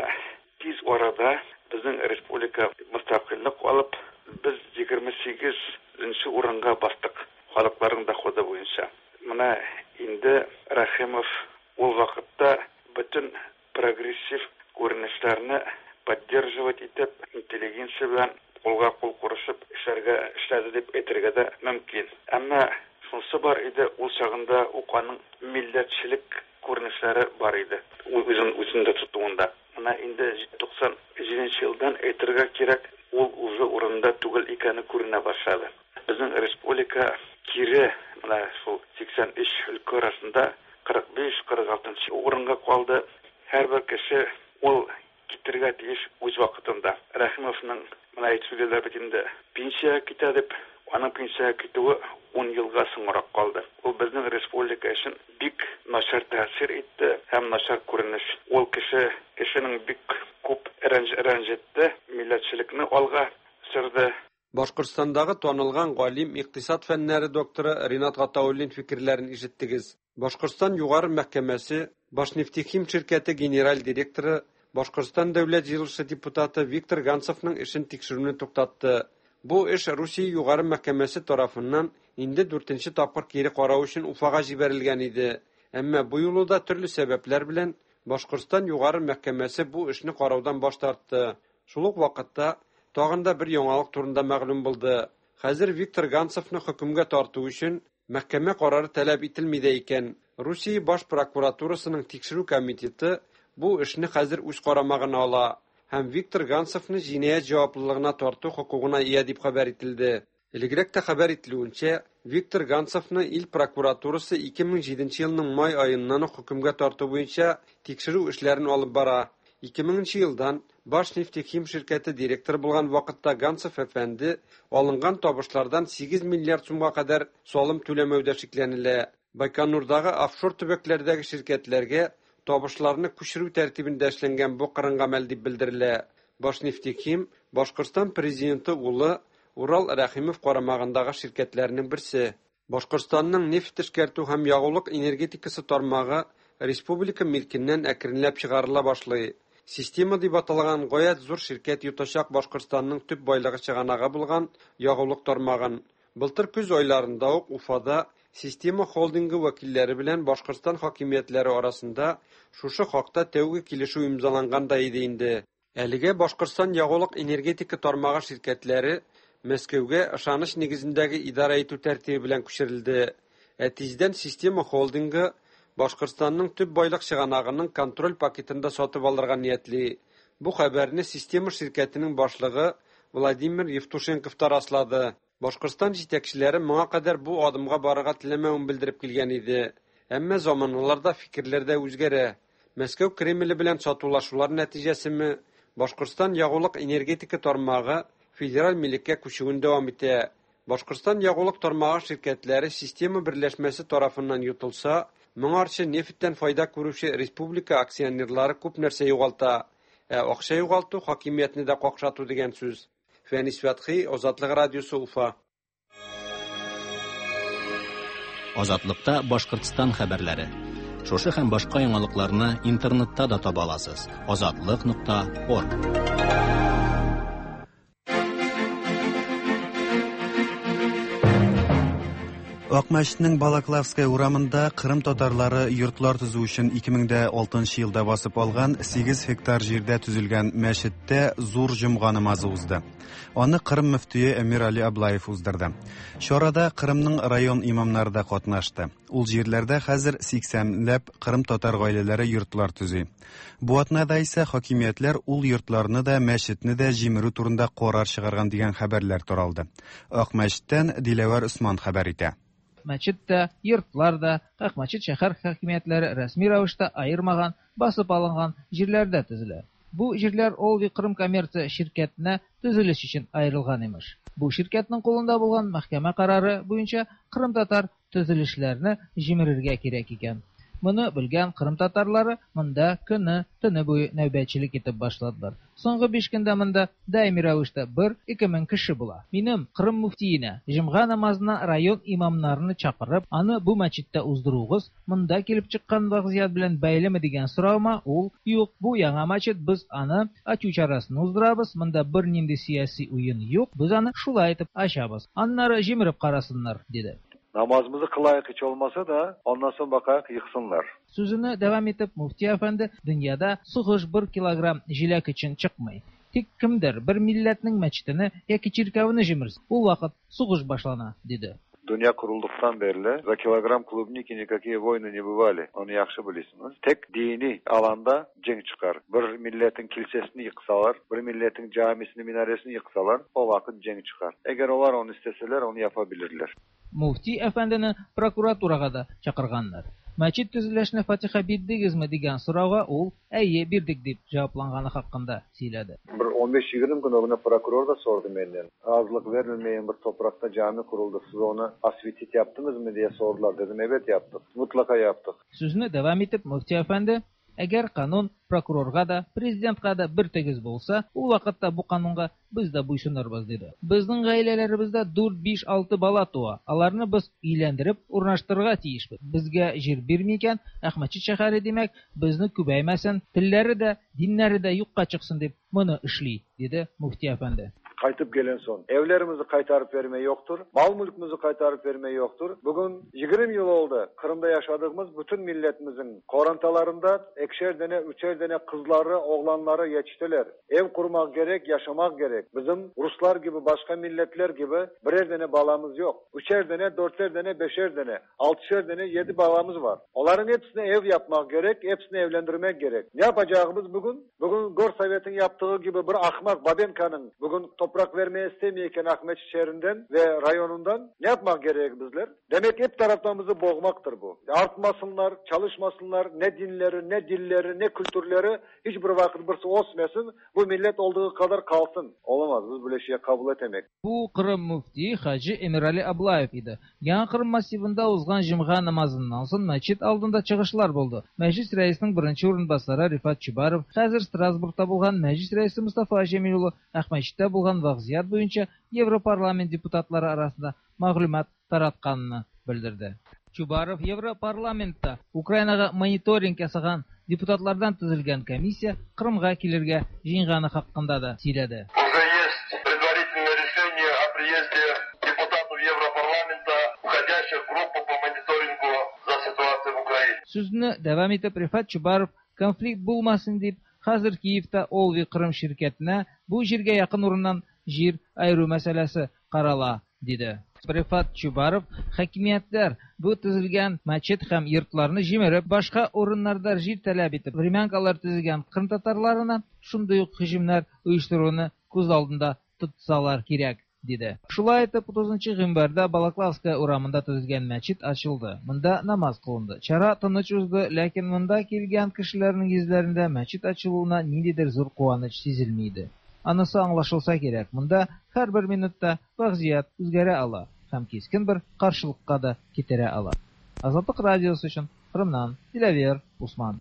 тиз арада безнең республика мөстәкыйльлек алып, без 28 урынга бастык халыкларның доходы буенча. Менә инде Рәхимов ул вакытта бөтен прогрессив күренешләрне поддерживать итеп, интеллигенция белән кулга кул курышып эшләргә эшләде дип әйтергә дә мөмкин. Әмма шунысы бар иде, ул чагында ук аның милләтчелек күренешләре бар иде. Үзен үзендә тотуында. Менә инде 97 елдан әйтергә кирәк, ул уже урында түгел икәне күренә башлады. Безнең республика кире менә шул 83 өлкә арасында 45-46 урынга калды. Һәрбер кеше ул китергә тиеш үз вакытында. Рәхимовның менә әйтеп сөйлиләр бит инде, пенсиягә китә дип, аның пенсиягә китүе 10 елга соңрак калды. Ул безнең республика өчен бик начар тәэсир итте һәм начар күренеш. Ул кеше кешенең бик күп рәнҗетте, милләтчелекне алга сөрде. Башкортстандагы танылган галим, икътисад фәннәре докторы Ринат Гатауллин фикерләрен ишеттегез. Башкортстан Югары мәхкәмәсе Башнефтехим ширкәте генераль директоры, Башкортстан дәүләт җыелышы депутаты Виктор Ганцевның эшен тикшерүне туктатты. Бу эш Русия Югары мәхкәмәсе тарафыннан инде дүртенче тапкыр кире карау өчен Уфага җибәрелгән иде. Әмма бу юлы да төрле сәбәпләр белән Башкортстан Югары мәхкәмәсе бу эшне караудан баш тартты. Шул ук вакытта тагын да бер яңалык турында мәгълүм булды. Хәзер Виктор Ганцевны хөкемгә тарту өчен мәхкәмә карары таләп ителми дә икән. Русия баш прокуратурасының тикшерү комитеты бу эшне хәзер үз карамагына ала һәм Виктор Ганцевны җинаять җаваплылыгына тарту хокукына ия дип хәбәр ителде. Элегрәк тә хәбәр ителүенчә, Виктор Ганцевны ил прокуратурасы 2007 елның май аеннан ук хөкемгә тарту буенча тикшерү эшләрен алып бара. 2000 нче елдан Башнефтехим ширкәте директоры булган вакытта Ганцев әфәнде алынган табышлардан 8 миллиард сумга кадәр салым түләмәүдә шикләнелә. Байконурдагы офшор төбәкләрдәге ширкәтләргә табышларны күчерү тәртибендә эшләнгән бу кырын гамәл дип белдерелә. Башнефтехим Башкортстан президенты улы Урал Рәхимов карамагындагы ширкәтләрнең берсе. Башкортстанның нефть эшкәртү һәм ягулык энергетикасы тармагы республика милкеннән әкренләп чыгарыла башлый. Система дип аталган гаять зур ширкәт йотачак Башкортстанның төп байлыгы чыганагы булган ягулык тармагын. Былтыр көз айларында ук Уфада Система холдингы вәкилләре белән Башкортстан хакимиятләре арасында шушы хакта тәүге килешү имзаланган да иде инде. Әлегә Башкортстан ягулык-энергетика тармагы ширкәтләре Мәскәүгә ышаныч нигезендәге идарә итү тәртибе белән күчерелде. Ә тиздән Система холдингы Башкортстанның төп байлык чыганагының контроль пакетын да сатып алырга ниятли. Бу хәбәрне Система ширкәтенең башлыгы Владимир Евтушенков та раслады. Башкортстан җитәкчеләре моңа кадәр бу адымга барырга теләмәвен белдереп килгән иде. Әмма заманалар да, фикерләр дә үзгәрә. Мәскәү Кремле белән сатулашулар нәтиҗәсеме, Башкортстан ягулык-энергетика тармагы федераль милеккә күчүен дәвам итә. Башкортстан ягулык тармагы ширкәтләре Система берләшмәсе тарафыннан йотылса, моңарчы нефтьтән файда күрүче республика акционерлары күп нәрсә югалта. Ә акча югалту хакимиятне дә какшату дигән сүз. Фәнис Фәтхи, Азатлык радиосы, Уфа. Азатлыкта Башкортстан хәбәрләре. Шушы һәм башка яңалыкларны интернетта да таба аласыз. Азатлык.орг. Акмәчетнең Балаклавская урамында Кырым татарлары йортлар төзү өчен 2006 елда басып алган 8 гектар җирдә төзелгән мәчеттә зур җомга намазы узды. Аны Кырым мөфтие Әмир Али Аблаев уздырды. Чарада Кырымның район имамнары да катнашты. Ул җирләрдә хәзер 80 ләп Кырым татар гаиләләре йортлар төзи. Бу атнада исә хакимиятләр ул йортларны да, мәчетне дә җимерү турында карар чыгарган дигән хәбәрләр таралды. Акмәчеттән Диләвәр Усман хәбәр итә. Мәчет тә, йортлар да Акмәчет шәһәр хакимиятләре рәсми рәвештә аермаган, басып алынган җирләрдә төзелә. Бу җирләр Олви Крым коммерция ширкәтенә төзелеш өчен аерылган имеш. Бу ширкәтнең кулында булган мәхкәмә карары буенча кырымтатар төзелешләрне җимерергә кирәк икән. Моны белгән кырым татарлары монда көне, төне буе нәүбәтчелек итеп башладылар. Соңгы 5 көндә монда даими рәвештә 1-2 мең кеше була. Минем Кырым мөфтиенә җомга намазына район имамнарны чакырып, аны бу мәчеттә уздыруыгыз монда килеп чыккан вазгыять белән бәйлеме дигән соравыма ул, юк, бу яңа мәчет, без аны ачу чарасын уздырабыз, монда бернинди сияси уен юк, без аны шулай итеп ачабыз. Аннары җимереп карасыннар, диде. Namazımızı kılayık hiç olmasa da ondan sonra bakayak yıksınlar. Сүзене дәвам итеп, мөфти әфәнде дөньяда сугыш 1 килограмм җиләк өчен чыкмый. Тик кемдер бер милләтнең мәчетене яки чиркәвене җимерсә, ул вакыт сугыш башлана, диде. Dünya kurulduktan beri за килограмм клубники никакие войны не бывали. Onu yaxşı bilirsiniz. Tek dini alanda cenk çıkar. Bir milletin kilisesini yıksalar, bir milletin camisini, minaresini yıksalar o vakit cenk çıkar. Eğer onlar onu isteseler onu yapabilirler. Мөфти әфәндене прокуратурага да чакырганнар. Мәчет төзелешенә фатиха бирдегезме дигән сорауга ул әйе бирдек дип җавапланганы хакында сөйләде. Bir 15-20 gün ögüne prokuror da sordu menden. Razılık verilmeyen bir toprakta cami kuruldu. Siz onu asvitit yaptınız mı diye sordular. Dedim evet yaptık. Mutlaka yaptık. Сүзне дәвам итеп мөфти әфәнде, әгәр канун прокурорга да, президентка да бер тигез булса, ул вакытта бу канунга без дә буйсынырбыз, диде. Безнең гаиләләребездә 4, 5, 6 бала туа. Аларны без өйләндереп урнаштырырга тиешбез. Безгә җир бирми икән, Әхмәтчит шәһәре димәк, безне күбәймәсен, телләре дә, диннәре дә юкка чыксын дип моны эшли, диде мөфти әфәнде. Kaytıp gelen son. Evlerimizi kaytarıp verme yoktur. Mal mülkümüzü kaytarıp verme yoktur. Bugün 20 yıl oldu. Kırım'da yaşadığımız bütün milletimizin korantalarında ekşer dene, üçer dene kızları, oğlanları yetiştiler. Ev kurmak gerek, yaşamak gerek. Bizim Ruslar gibi, başka milletler gibi birer dene balamız yok. Üçer dene, dörter dene, beşer dene, altışer dene, 7 balamız var. Onların hepsine ev yapmak gerek, hepsini evlendirmek gerek. Ne yapacağımız bugün? Bugün Gorsovet'in yaptığı gibi bir ahmak Babenka'nın bugün Toprak vermeye istemeyken Akmeçit şehrinden ve rayonundan ne yapmak gerek bizler? Demek hep taraftan bizi boğmaktır bu. Artmasınlar, çalışmasınlar, ne dinleri, ne dilleri, ne kültürleri hiçbir vakit birisi osmasın. Bu millet olduğu kadar kalsın. Olamaz, biz böyle şeye kabul etemek. Бу Кырым мөфтие хаҗи Эмирали Аблаев иде. Яңа Кырым массивында узган җомга намазыннан соң мәчет алдында чыгышлар булды. Мәҗлис рәисенең беренче урынбасары Рифат Чубаров, хәзер Страсбургта булган Мәҗлис рәисе Мостафа Җәмил улы Акмәчеттә булган вазгыять буенча Европарламент депутатлары арасында мәгълүмат таратканны белдерде. Чубаров Европарламентта Украинага мониторинг ясаган депутатлардан төзелгән комиссия Кырымга килергә җыенганы хакында да сөйләде. Уже есть предварительное решение о приезде депутатов Европарламента, входящих в группу по мониторингу за ситуацией в Украине. Сүзне дәвам итеп Рифат Чубаров конфликт булмасын дип, хәзер Киевта Олви Кырым ширкәтенә бу җиргә якын урыннан җир аеру мәсьәләсе карала, диде. Рифат Чубаров хакимиятләр бу төзелгән мәчет һәм йортларны җимереп, башка урыннарда җир таләп итеп, времянкалар төзегән кырым татарларына шундый ук һөҗүмнәр оештыруны күз алдында тотсалар кирәк, диде. Шулай итеп, 30 гыйнварда Балаклавская урамында төзелгән мәчет ачылды. Монда намаз кылынды. Чара тыныч узды, ләкин монда килгән кешеләрнең йөзләрендә мәчет ачылуына ниндидер зур куаныч сизелми иде. Анысы аңлашылса кирәк, монда һәрбер минутта вазгыять үзгәрә ала һәм кискен бер каршылыкка да китерә ала. Азатлык радиосы өчен Кырымнан Диләвер Усман.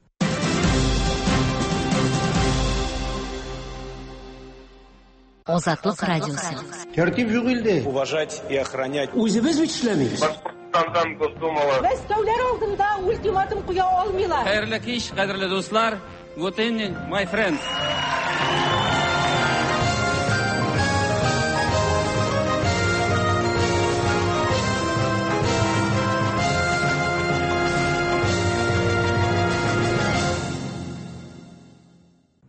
Азатлык радиосы. Тәртип юк илдә. Уважать и охранять. Үзебез бит эшләмибез. Башкортстандан Госдумала. Мәскәүләр алдында ультиматум куя алмыйлар. Хәерле кич, кадерле дуслар. Good evening, my friends.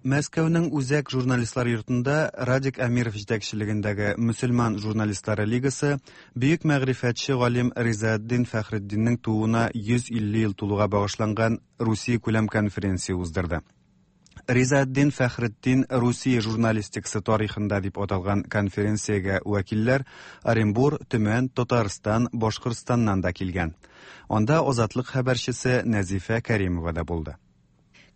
Мәскәүнең Үзәк журналистлар йортында Радик Әмиров җитәкчелегендәге Мөселман журналистлары лигасы бөек мәгърифәтче галим Ризаэддин Фәхретдиннең тууына 150 ел тулуга багышланган Русия күләм конференция уздырды. Ризаэддин Фәхретдин Русия журналистикасы тарихында дип аталган конференциягә вәкилләр Оренбур, Төмән, Татарстан, Башкортстаннан да килгән. Анда Азатлык хәбәрчесе Нәзифә Кәримова да булды.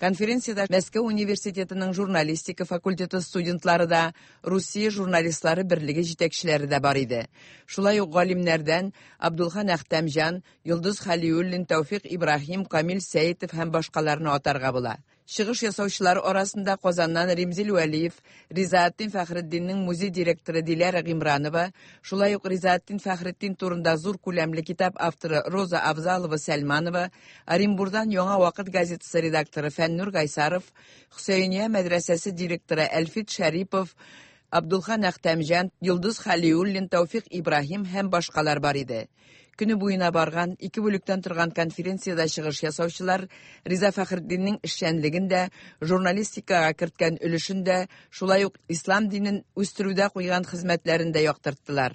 Конференциядә Мәскәү университетының журналистика факультеты студентлары да, Русия журналистлары берлеге җитәкчеләре дә бар иде. Шулай ук галимнәрдән Абдулхан Әхтәмҗан, Йолдыз Хәлиуллин, Тәүфик Ибраһим, Камил Сәетов һәм башкаларны атарга була. Чыгыш ясаучылар арасында Казаннан Римзил Вәлиев, Ризаэддин Фәхретдиннең музей директоры Диләрә Гыймранова, шулай ук Ризаэддин Фәхретдин турында зур күләмле китап авторы Роза Авзалова Сәлманова, Оренбурдан Яңа вакыт газетасы редакторы Фәннур Гайсаров, Хөсәения мәдрәсәсе директоры Әлфит Шәрипов, Абдулхан Әхтәмҗан, Йолдыз Хәлиуллин, Тәүфик Ибраһим һәм башкалар бар иде. Көне буена барган ике бүлектән торган конференциядә чыгыш ясаучылар Риза Фәхретдиннең эшчәнлеген дә, журналистикага керткән өлешен дә, шулай ук ислам динен үстерүдә куйган хезмәтләрен дә яктырттылар.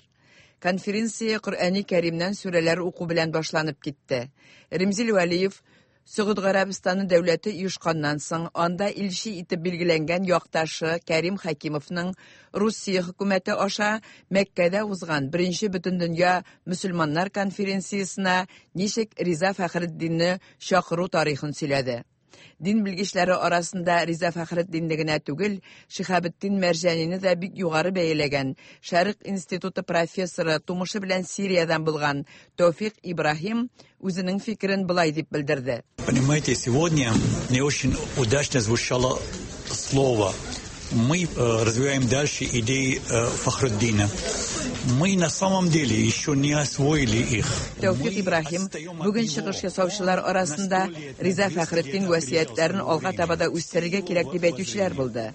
Конференция Коръәни Кәримнән сүрәләр уку белән башланып китте. Римзил Вәлиев Сөгуд Гарәбстаны дәүләте оешканнан соң анда илче итеп билгеләнгән якташы Кәрим Хәкимовның Русия хөкүмәте аша Мәккәдә узган беренче бөтендөнья мөселманнар конференциясенә ничек Риза Фәхретдинне чакыру тарихын сөйләде. Дин белгечләре арасында Риза Фәхретдинне генә түгел, Шиһабетдин Мәрҗанине дә бик югары бәяләгән Шәрык институты профессоры, тумышы белән Сириядән булган Тәүфик Ибраһим үзенең фикерен болай дип белдерде. Понимаете, сегодня не очень удачно звучало слово. Мы развиваем дальше идеи Фахруддина. Мы на самом деле еще не освоили их. Тәүфик Ибраһим бүген чыгыш ясаучылар арасында Риза Фәхретдин васыятьләрен алга таба да үстерергә кирәк дип әйтүчеләр булды.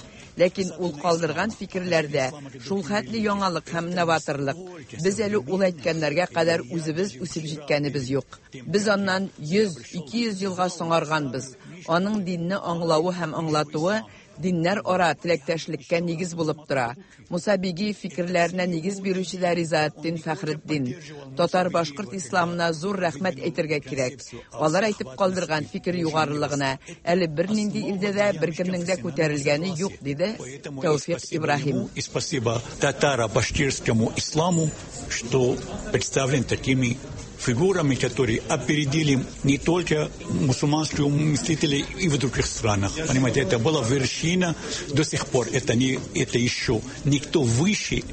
Ләкин ул калдырган фикерләрдә шул хәтле яңалык һәм новаторлык. Без әле ул әйткәннәргә кадәр үзебез үсеп җиткәнебез юк. Без аннан 100-200 елга соңарганбыз. Аның динне аңлавы һәм аңлатуы диннәр ара теләктәшлеккә нигез булып тора. Муса Бигиев фикерләренә нигез бирүче дә Ризаэтдин Фәхретдин. Татар-башкорт исламына зур рәхмәт әйтергә кирәк. Алар әйтеп калдырган фикер югарылыгына әле бернинди илдә дә беркемнең дә күтәрелгәне юк, диде Тәүфикъ Ибраһим. И спасибо татаро-башкирскому исламу, что представлен такими фигурами, которые опередили не только мусульманских мыслителей и в других странах. Понимаете, это была вершина до сих пор. Это, не, это еще никто выше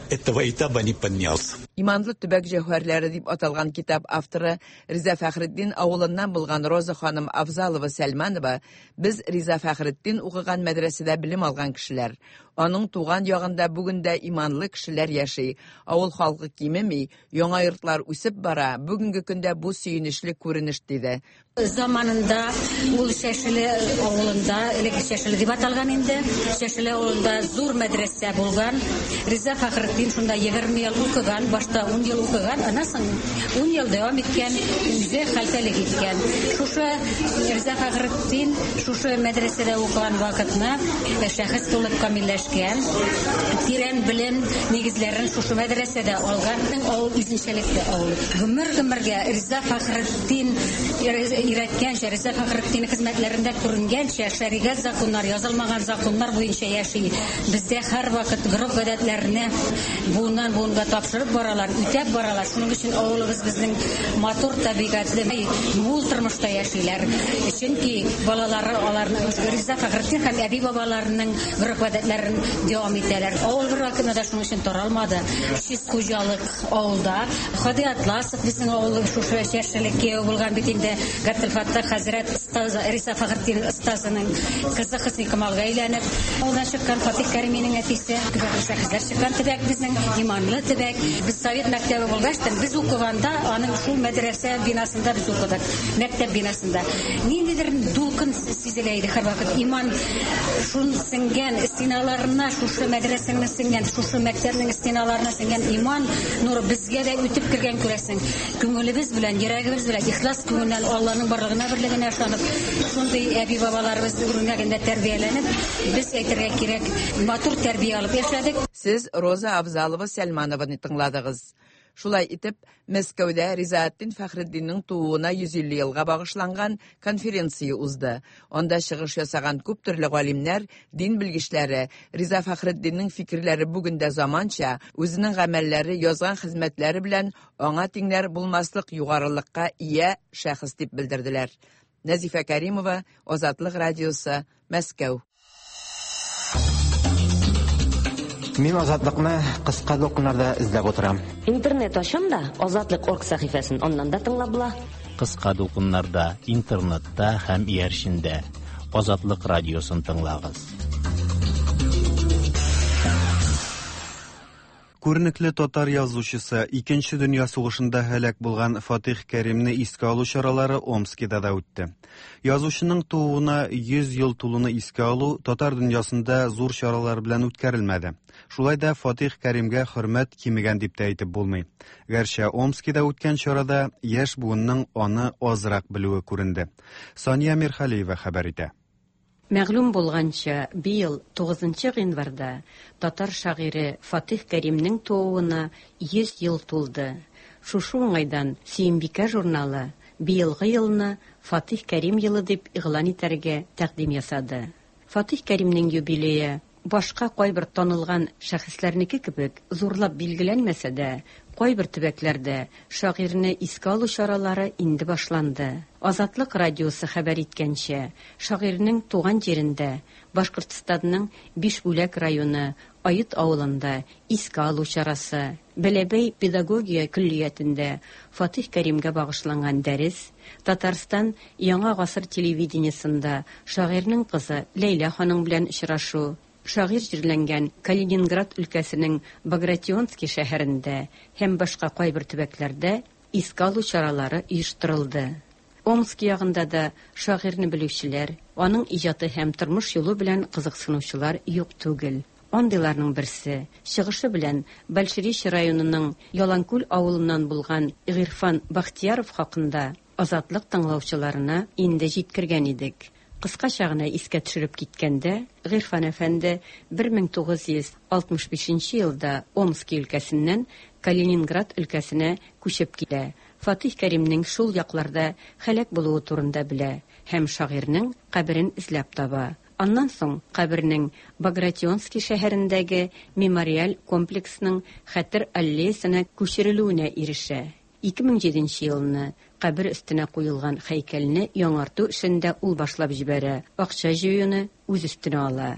этого этапа не поднялся. Иманлы төбәк җәүһәрләре дип аталган китап авторы Риза Фәхретдин авылыннан булган Роза ханым Авзалова Сәлманова без Риза Фәхретдин укыган мәдрәсәдә белем алган кешеләр. Аның туган ягында бүген дә иманлы кешеләр яши. Авыл халкы кимеми, яңа йортлар үсеп бара. Бүгенге көндә бу сөенечле күренеш, диде. Заманында ул Чәшеле авылында, элек Чәшеле дип аталган инде, Чәшеле авылында зур мәдрәсә булган. Риза Фәхретдин шунда 20 ел укыган, башта 10 ел укыган, аннан соң 10 ел дәвам иткән, үзе хәлфәлек иткән. Шушы Риза Фәхретдин шушы мәдрәсәдә укыган вакытны шәхес булып камилләшкән, тирән белем нигезләрен шушы мәдрәсәдә алган. Авыл үзенчәлекле авыл. Гомер-гомергә Риза Фәхретдин өйрәткәнчә, Риза Фәхретдин хезмәтләрендә күренгәнчә, шәригать законнар, язылмаган законнар буенча яши. Бездә һәрвакыт гореф-гадәтләрне буыннан буынга тапшырып баралар, үтәп баралар. Шуның өчен авылыбыз безнең матур табигатьле, мул тормышта яшиләр. Чөнки балалары аларның Риза Фәхретдин һәм әби-бабаларының гореф-гадәтләрен дәвам итәләр. Авыл бер вакытта да шуның өчен таралмады. Чист хуҗалык авылда. Һади Атласов безнең авыл шушы чәршелек кияү булган бит инде. Габделфаттах хәзрәт остаз Риза Фәхретдин остазының кызы Хөсни Камалга өйләнеп, авылдан чыккан Фатих Кәриминең әтисе. Шәхесләр чыккан төбәк безнең, иманлы төбәк. Без совет мәктәбе булгач та, без укыганда аның шул мәдрәсә бинасында без укыдык, мәктәп бинасында. Ниндидер дулкын сизелә иде һәрвакыт. Иман шун сеңгән стеналарына, шушы мәдрәсәнең сеңгән, шушы мәктәпнең стеналарына сеңгән иман нуры безгә дә үтеп кергән күрәсең. Күңелебез белән, йөрәгебез белән, ихлас күңелдән Алланың барлыгына, берлегенә ышанып, шундый әби-бабаларыбыз үрнәгендә тәрбияләнеп, без әйтергә кирәк, матур тәрбия алып яшәдек. Сез Роза Авзалова Сәлманованы тыңладыгыз. Шулай итеп, Мәскәүдә Ризаэтдин Фәхретдиннең тууына 150 елга багышланган конференция узды. Анда чыгыш ясаган күп төрле галимнәр, дин белгечләре Риза Фәхретдиннең фикерләре бүген дә заманча, үзенең гамәлләре, язган хезмәтләре белән аңа тиңнәр булмаслык югарылыкка ия шәхес дип белдерделәр. Нәзифә Кәримова, Азатлык радиосы, Мәскәү. Мин Азатлыкны кыска дулкыннарда эзләп утырам. Интернет ачам да, Азатлык орг сәхифәсен аннан да тыңлап була. Кыска дулкыннарда, интернетта һәм иярчендә. Азатлык радиосын тыңлагыз. Күренекле татар язучысы, Икенче дөнья сугышында һәлак булган Фатих Кәримне искә алу чаралары Омскида да үтте. Язучының тууына 100 ел тулуны искә алу татар дөньясында зур чаралар белән үткәрелмәде. Шулай да Фатих Кәримгә хөрмәт кимегән дип тә әйтеп булмый. Гәрчә Омскида үткән чарада яшь буынның аны азрак белүе күренде. Сания Мирхалиева хәбәр итә. Мәгълүм булганча, быел 9 гыйнварда татар шагыйре Фатих Кәримнең тууына 100 ел тулды. Шушы уңайдан Сөембикә журналы быелгы елны Фатих Кәрим елы дип игълан итәргә тәкъдим ясады. Фатих Кәримнең юбилее башка кайбер танылган шәхесләрнеке кебек зурлап билгеләнмәсә дә, кайбер төбәкләрдә шагыйрьне искә алу чаралары инде башланды. Азатлык радиосы хәбәр иткәнчә, шагыйрьнең туган җирендә, Башкортстанның Бишбүләк районы Ает авылында искә алу чарасы, Бәләбәй педагогия көллиятендә Фатих Кәримгә багышланган дәрес, Татарстан Яңа гасыр телевидениесында шагыйрьнең кызы Ләйлә ханым белән очрашу, шагыйрь җирләнгән Калининград өлкәсенең Багратионский шәһәрендә һәм башка кайбер төбәкләрдә искә алу чаралары оештырылды. Омск ягында да шагыйрьне белүчеләр, аның иҗаты һәм тормыш юлы белән кызыксынучылар юк түгел. Андыйларның берсе, чыгышы белән Большеречье районының Яланкүл авылыннан булган Гыйрфан Бахтияров хакында Азатлык тыңлаучыларына инде җиткергән идек. Кыскача гына искә төшереп киткәндә, Гыйрфан әфәнде 1965 нче елда Омски өлкәсеннән Калининград өлкәсенә күчеп килә, Фатих Кәримнең шул якларда һәлак булуы турында белә һәм шагыйрьнең каберен эзләп таба. Аннан соң кабернең Багратионски шәһәрендәге мемориаль комплексның Хәтер аллеясына күчерелүенә ирешә. 2007 нче елны кабер өстенә куелган һәйкәлне яңарту эшен дә ул башлап җибәрә, акча җыюны үз өстенә ала.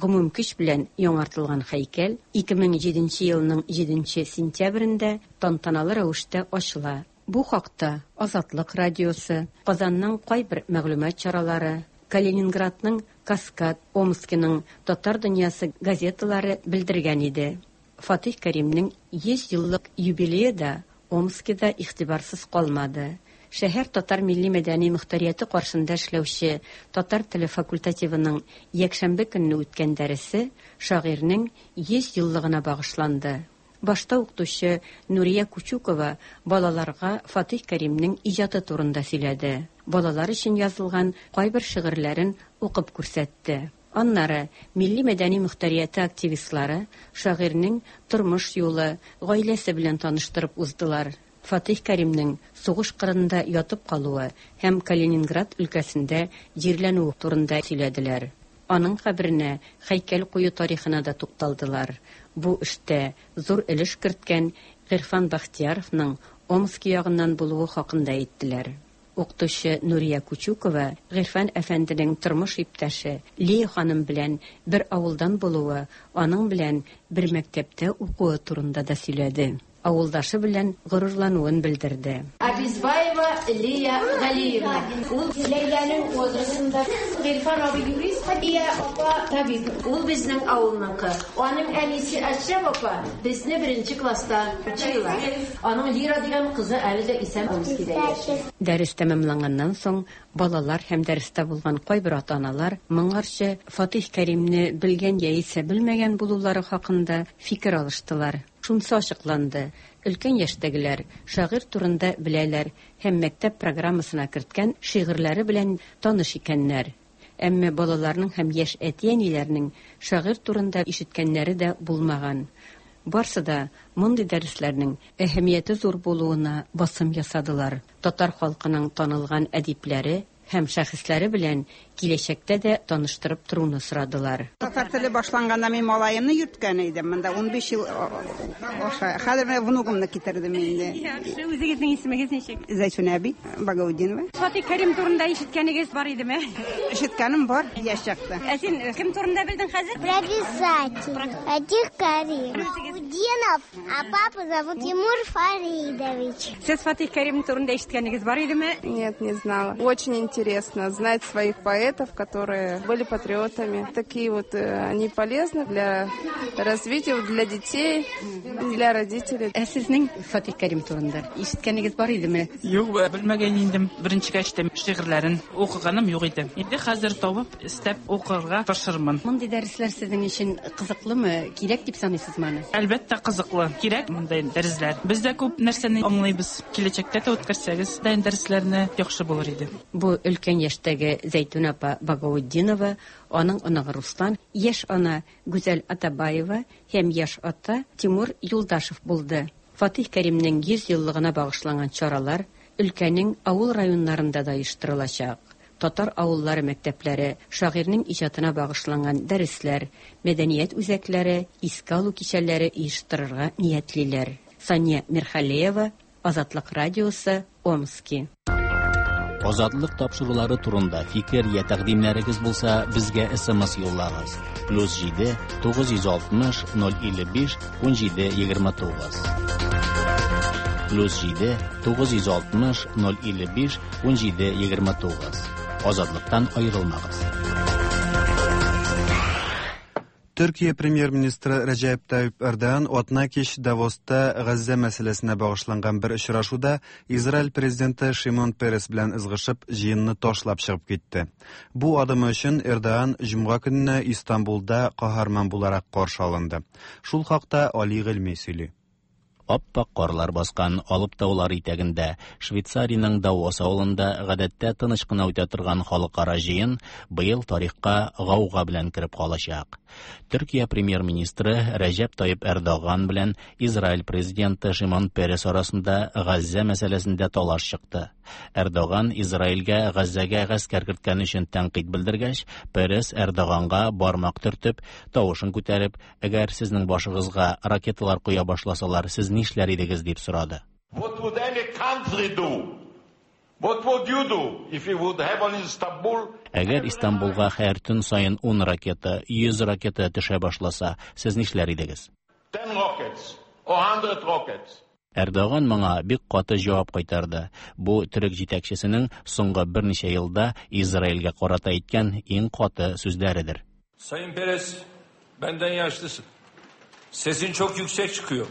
Гомум көч белән яңартылган һәйкәл 2007 нче елның җиденче сентябрендә тантаналы рәвештә ачыла. Бу хакта Азатлык радиосы, Казанның кайбер мәгълүмат чаралары, Калининградның Каскад, Омскиның Татар дөньясы газеталары белдергән иде. Фатих Кәримнең 100 еллык юбилее да Омскида игътибарсыз калмады. Шәһәр татар милли-мәдәни мохтарияте каршында эшләүче татар теле факультативының якшәмбе көнне үткән дәресе шагыйрьнең 100 еллыгына багышланды. Башта укытучы Нурия Кучукова балаларга Фатих Кәримнең иҗаты турында сөйләде, балалар өчен язылган кайбер шигырьләрен укып күрсәтте. Аннары милли-мәдәни мохтарияте активистлары шагыйрьнең тормыш юлы, гаиләсе белән таныштырып уздылар. Фатих Кәримнең сугыш кырында ятып калуы һәм Калининград өлкәсендә җирләнүе турында сөйләделәр. Аның каберенә һәйкәл кую тарихына да тукталдылар. Бу эштә зур өлеш керткән Гыйрфан Бәхтияровның Омски ягыннан булуы хакында әйттеләр. Укытучы Нурия Кучукова Гыйрфан әфәнденең тормыш иптәше Лия ханым белән бер авылдан булуы, аның белән бер мәктәптә укуы турында да сөйләде. Авылдашы белән горурлануын белдерде. Абизбаева Лия Галиевна. Ул Ләйләнең возрастында. Гыйльфан абый юрист, Хәдия апа табиб. Ул безнең авылныкы. Аның әнисе Әшрәф апа безне беренче класста учила. Аның Лира дигән кызы әле дә исән Омскида яши. Дәрес тәмамланганнан соң, балалар һәм дәрестә булган кайбер ата-аналар моңарчы Фатих Кәримне белгән яисә белмәгән булулары хакында фикер алыштылар. Шунысы ачыкланды, өлкән яшьтәгеләр шагыйрь турында беләләр һәм мәктәп программасына керткән шигырьләре белән таныш икәннәр. Әмма балаларның һәм яшь әти-әниләрнең шагыйрь турында ишеткәннәре дә булмаган. Барсы да мондый дәресләрнең әһәмияте зур булуына басым ясадылар, татар халкының танылган әдипләре һәм шәхесләре белән киләчәктә дә таныштырып торуны сорадылар. Татар теле башланганда мин малаемны йөрткән идем. Монда 15 ел аша. Хәзер менә внугымны китердем инде. Яхшы, үзегезнең исемегез ничек? Зәйтүнә әби Багаутдинова. Фатих Кәрим турында ишеткәнегез бар идеме? Ишеткәнем бар, яшь чакта. Ә син кем турында белдең хәзер? Про писателя. Фатих Карим. Багаутдинов, а папу зовут Тимур Фаридович. Сез Фатих Кәрим турында ишеткәнегез бар идеме? Нет, не знала. Очень интересно знать своих поэтов, которые были патриотами. Такие вот э, они полезны для развития, для детей, для родителей. Ә сезнең Фатих Кәрим турында ишеткәнегез бар идеме? Юк, белмәгән идем. Беренчегә ишетәм. Шигырьләрен укыганым юк иде. Инде хәзер табып, эстәп укырга тырышырмын. Мондый дәресләр сезнең өчен кызыклымы? Кирәк дип саныйсызмы аны? Әлбәттә, кызыклы. Кирәк мондай дәресләр. Без дә күп нәрсәне аңлыйбыз. Киләчәктә дә үткәрсәгез, дә дәресләрне яхшы булыр иде. Бу өлкән яшьтәге Зәйтүнә апа Багаутдинова, аның оныгы Руслан, яшь ана Гүзәл Атабаева һәм яшь ата Тимур Юлдашев булды. Фатих Кәримнең 100 еллыгына багышланган чаралар өлкәнең авыл районнарында да оештырылачак. Татар авыллары мәктәпләре шагыйрьнең иҗатына багышланган дәресләр, мәдәният үзәкләре искә алу кичәләре оештырырга ниятлиләр. Сания Мирхалеева, Азатлык радиосы, Омски. Азатлык тапшырулары турында фикер я тәкъдимнәрегез булса, безгә SMS юллагыз. Плюс 7 960 055 17 29. Плюс 7 960 055 17 29. Азатлыктан аерылмагыз. Төркия премьер-министры Рәҗәп Тайип Эрдоган атна кич Давоста Газзә мәсьәләсенә багышланган бер очрашуда Израиль президенты Шимон Перес белән ызгышып, җыенны ташлап чыгып китте. Бу адымы өчен Эрдоган җомга көнне Истанбулда каһарман буларак каршы алынды. Шул хакта Али Гыйльми сөйли. Ап-ак карлар баскан Алып таулар итәгендә, Швейцариянең Давос авылында гадәттә тыныч кына үтә торган халыкара җыен быел тарихка гауга белән кереп калачак. Төркия премьер-министры Рәҗәп Тайип Эрдоган белән Израиль президенты Шимон Перес арасында Газзә мәсьәләсендә талаш чыкты. Эрдоган Израильгә Газзәгә гаскәр керткән өчен тәнкыйть белдергәч, Перес Эрдоганга бармак төртеп, тавышын күтәреп, Әгәр сезнең башыгызга ракеталар коя башласалар, сез нишләр идегез, дип сорады. What would any country do? What would you do if you would have on Istanbul? Әгәр Истанбулга һәр төн саен 10 ракета, 100 ракета төшә башласа, сез нишләр идегез? 10 rockets or 100 rockets. Эрдоган моңа бик каты җавап кайтарды. Бу төрек җитәкчесенең соңгы берничә елда Израильгә карата әйткән иң каты сүзләредер. Sayın Peres, benden yaşlısın. Sesin çok yüksek çıkıyor.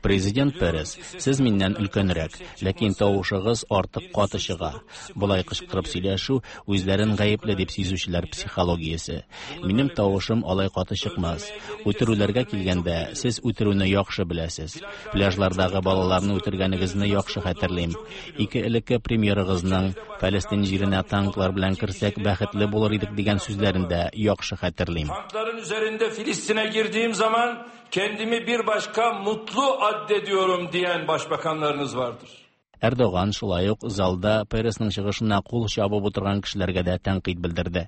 Президент Перес, сез миннән өлкәнрәк, ләкин тавышыгыз артык каты чыга. Болай кычкырып сөйләшү үзләрен гаепле дип сизүчеләр психологиясе. Минем тавышым алай каты чыкмас. Үтерүләргә килгәндә, сез үтерүне яхшы беләсез. Пляжлардагы балаларны үтергәнегезне яхшы хәтерлим. Ике элекке премьерыгызның Фәлестин җиренә танклар белән керсәк бәхетле булыр идек дигән сүзләрен дә яхшы хәтерлим. Tankların üzerinde Filistin'e girdiğim zaman kendimi bir başka mutlu addediyorum diyen başbakanlarınız vardır. Эрдоган шулай ук залда Пересның чыгышына кул чабып утырган кешеләргә дә тәнкыйть белдерде.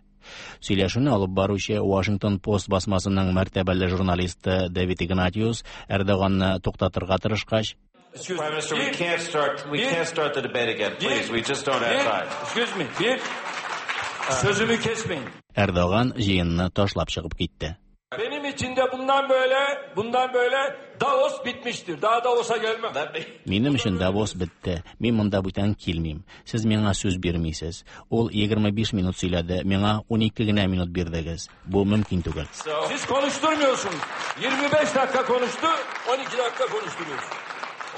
Сөйләшүне алып баручы Washington Post басмасының мәртәбәле журналисты Дэвид Игнатиус Эрдоганны туктатырга тырышкач, Excuse Prime me. Minister, we Bir- can't start. We bir- can't start the debate again. bir- Please, we just don't have bir- time. Excuse me. Bir sözümü kesmeyin. Эрдоган җыенны ташлап чыгып китте. Benim için de bundan böyle, bundan böyle Davos bitmiştir. Daha Davos'a gelmem. Минем өчен Давос бетте. Мин монда бүтән килмим. Сез миңа сүз бирмисез. Ул 25 минут сөйләде, миңа 12 генә минут бирдегез. Бу мөмкин түгел. Siz konuşturmuyorsunuz. 25 dakika konuştu, 12 dakika konuşturuyorsunuz.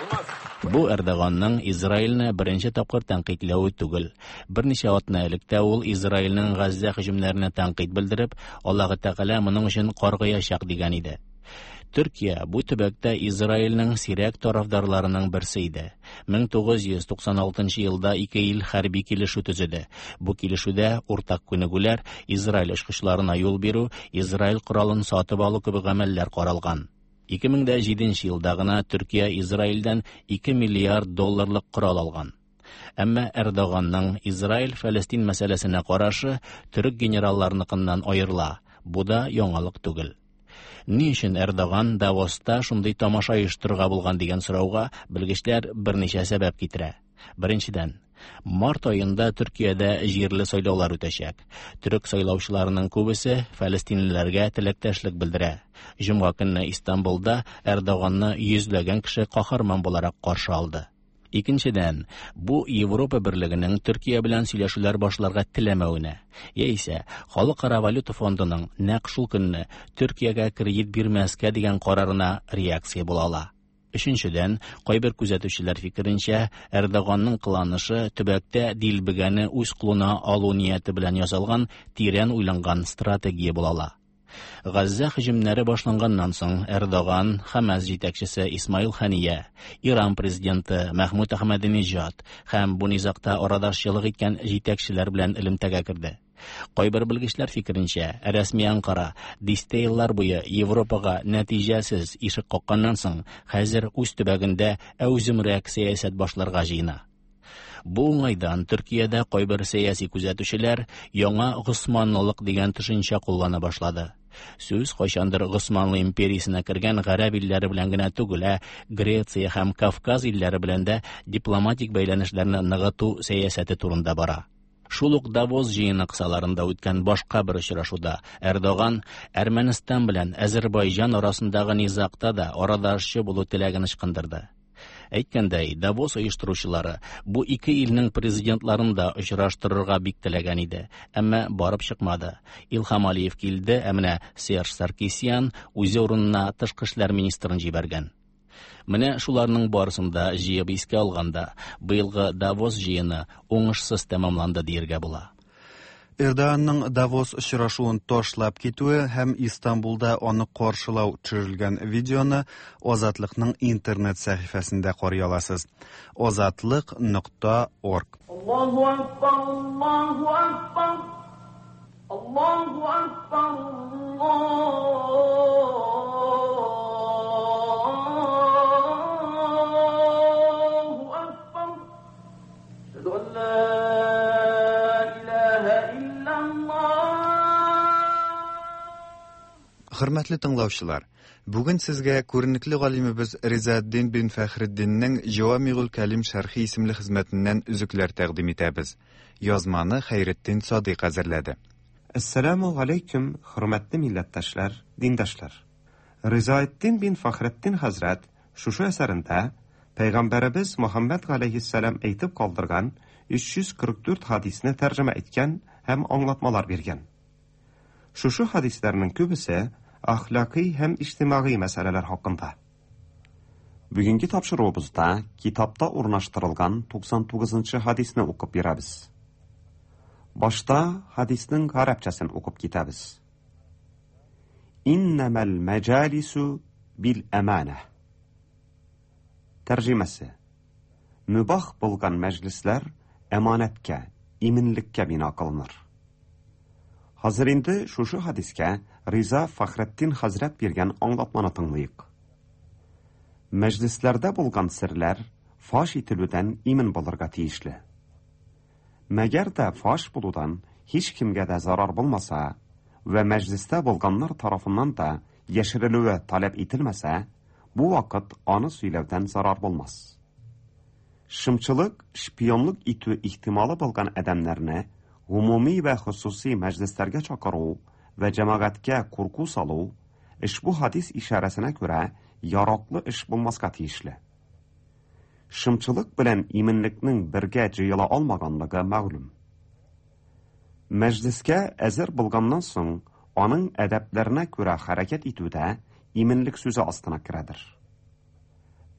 Olmaz. Бу Эрдоганның Израильне беренче тапкыр тәнкыйтьләве түгел. Берничә атна элек тә ул Израильнең Газзә һөҗүмнәренә тәнкыйть белдереп, Аллаһы Тәгалә моның өчен каргыячак дигән иде. Төркия бу төбәктә Израильнең сирәк тарафдарларының берсе иде. 1996 елда ике ил хәрби килешү төзеде. Бу килешүдә уртак күнегүләр, Израиль очкычларына юл бирү, Израиль коралын сатып алу кебек гамәлләр каралган. 2007 елда гына Төркия Израильдән 2 миллиард долларлык корал алган. Әмма Эрдоганның Израиль-Фәлестин мәсьәләсенә карашы төрек генералларыныкыннан аерыла. Бу да яңалык түгел. Ни өчен Эрдоган Давоста шундый тамаша оештырырга булган дигән сорауга белгечләр берничә сәбәп китерә. Беренчедән, март аенда Төркиядә җирле сайлаулар үтәчәк. Төрек сайлаучыларының күбесе фәлестинлеләргә теләктәшлек белдерә. Җомга көнне Истанбулда Эрдоганны йөзләгән кеше каһарман буларак каршы алды. Икенчедән, бу Европа берлегенең Төркия белән сөйләшүләр башларга теләмәвенә, яисә Халыкара валюта фондының нәкъ шул көнне Төркиягә кредит бирмәскә дигән карарына реакция була ала. Өченчедән, кайбер күзәтүчеләр фикеренчә, Эрдоганның кыланышы төбәктә дилбегәне үз кулына алу нияте белән ясалган тирән уйланган стратегия була ала. Газзә һөҗүмнәре башланганнан соң Эрдоган, Хамас җитәкчесе Исмаил Хания, Иран президенты Мәхмүд Әхмәдинежад һәм бу низагта арадашчылык иткән җитәкчеләр белән элемтәгә керде. Кайбер белгечләр фикеренчә, рәсми Анкара дистә еллар буе Европага нәтиҗәсез ишек какканнан соң, хәзер үз төбәгендә әүземрәк сәясәт башларга җыена. Бу уңайдан Төркиядә кайбер сәяси күзәтүчеләр яңа Госманлылык дигән төшенчә куллана башлады. Сүз кайчандыр Госманлы империясенә кергән гарәп илләре белән генә түгел, ә Греция һәм Кавказ илләре белән дә дипломатик бәйләнешләрне ныгыту сәясәте турында бара. Шул ук Давос җыены кысаларында үткән башка бер очрашуда Эрдоган Әрмәнстан белән Әзербайҗан арасындагы низагта да арадашчы булу теләген ычкындырды. Әйткәндәй, Давос оештыручылары бу ике илнең президентларын да очраштырырга бик теләгән иде, әмма барып чыкмады. Илһам Алиев килде, ә менә Серж Саркисян үзе урынына тышкы эшләр министрын җибәргән. Менә шуларның барысын да җыеп искә алганда, быелгы Давос җыены уңышсыз тәмамланды дияргә була. Эрдоганның Давос очрашуын ташлап китүе һәм Истанбулда аны каршылау төшерелгән видеоны Азатлыкның интернет сәхифәсендә карый аласыз. Азатлык нокта орг. Аллаһу акбар, Аллаһу акбар, Аллаһу акбар, Аллаһу акбар. Әшһәду ан ла илаһа иллаллаһ. Хөрмәтле тыңлаучылар, бүген сезгә күренекле галимебез Ризаэддин бин Фәхретдиннең Җавамигул Кәлим шәрхи исемле хезмәтеннән өзекләр тәкъдим итәбез. Язманы Хәйретдин Садыйк әзерләде. Әссәламү галәйкүм, хөрмәтле милләттәшләр, диндашлар! Ризаэддин бин Фәхретдин хәзрәт шушы әсәрендә Пәйгамбәребез Мөхәммәд галәйһиссәлам әйтеп калдырган 344 хадисне тәрҗемә иткән һәм аңлатмалар биргән. Шушы хадисләрнең күбесе әхлакый һәм иҗтимагый мәсьәләләр хакында. Бүгенге тапшыруыбызда китапта урнаштырылган 99 нчы хадисне укып бирәбез. Башта хадисның гарәпчәсен укып китәбез. Иннәмәл мәҗалису бил әманә. Тәрҗемәсе. Мөбах булган мәҗлесләр әманәткә, иминлеккә бина кылыныр. Хәзер инде шушы хадискә Риза Фәхретдин хәзрәт биргән аңлатманы тыңлыйк. Мәҗлесләрдә булган серләр фаш ителүдән имин булырга тиешле. Мәгәр дә фаш булудан һичкемгә дә зарар булмаса вә мәҗлестә булганнар тарафыннан да яшерелүе таләп ителмәсә, бу вакыт аны сөйләүдән зарар булмас. Шымчылык, шпионлык итү ихтималы булган адәмнәрне гомуми вә хосусый мәҗлесләргә чакыру вә җәмәгатькә курку салу, ошбу хадис ишарәсенә күрә, яраклы эш булмаска тиешле. Шымчылык белән иминлекнең бергә җыела алмаганлыгы мәгълүм. Мәҗлескә әзер булганнан соң, аның әдәпләренә күрә хәрәкәт итү дә иминлек сүзе астына керәдер.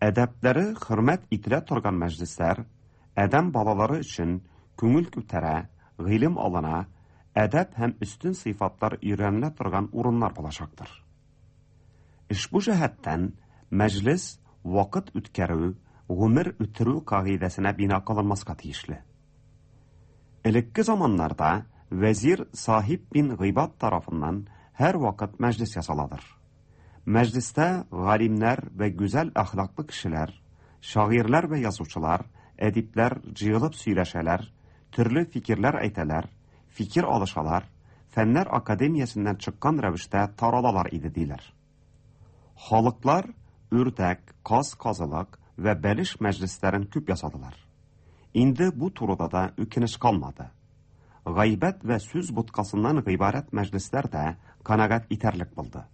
Әдәпләре хөрмәт ителә торган мәҗлесләр адәм балалары өчен күңел күтәрә, гыйлем алына, әдәп һәм өстен сыйфатлар өйрәнелә торган урыннар булачактыр. Ошбу җәһәттән мәҗлес вакыт үткәрү, гомер үтерү кагыйдәсенә бина кылынмаска тиешле. Элекке заманнарда вәзир Сахиб бин Гыйбад тарафыннан һәрвакыт мәҗлес ясаладыр. Мәҗлестә галимнәр вә гүзәл әхлаклы кешеләр, шагыйрьләр вә язучылар, әдипләр җыелып сөйләшәләр, төрле фикерләр әйтәләр, фикер алышалар, фәннәр академиясеннән чыккан рәвештә таралалар иде, диләр. Халыклар үрдәк, каз казылык вә бәлеш мәҗлесләрен күп ясадылар. Инде бу турыда да үкенеч калмады. Гайбәт вә сүз боткасыннан гыйбарәт мәҗлесләр дә канәгать итәрлек булды.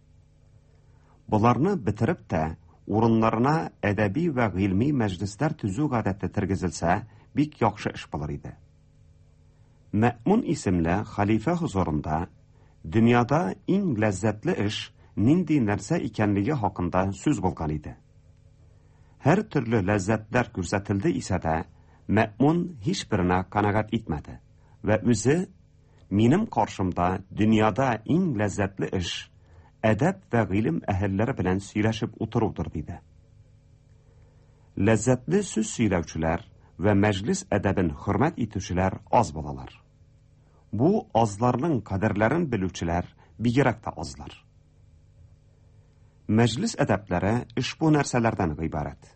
Боларны бетереп тә, урыннарына әдәби вә гыйльми мәҗлесләр төзү гадәте тергезелсә, бик яхшы эш булыр иде. Мәэмун исемле хәлифә хозурында дөньяда иң ләззәтле эш нинди нәрсә икәнлеге хакында сүз булган иде. Һәр төрле ләззәтләр күрсәтелде исә дә, Мәэмун һичберенә канәгать итмәде вә үзе, Минем каршымда дөньяда иң ләззәтле эш, әдәп вә гыйлем әһелләре белән сөйләшеп утырудыр, диде. Ләззәтле сүз сөйләүчеләр вә мәҗлес әдәбен хөрмәт итүчеләр аз булалар. Бу азларның кадерләрен белүчеләр бигрәк тә азлар. Мәҗлес әдәпләре ошбу нәрсәләрдән гыйбарәт.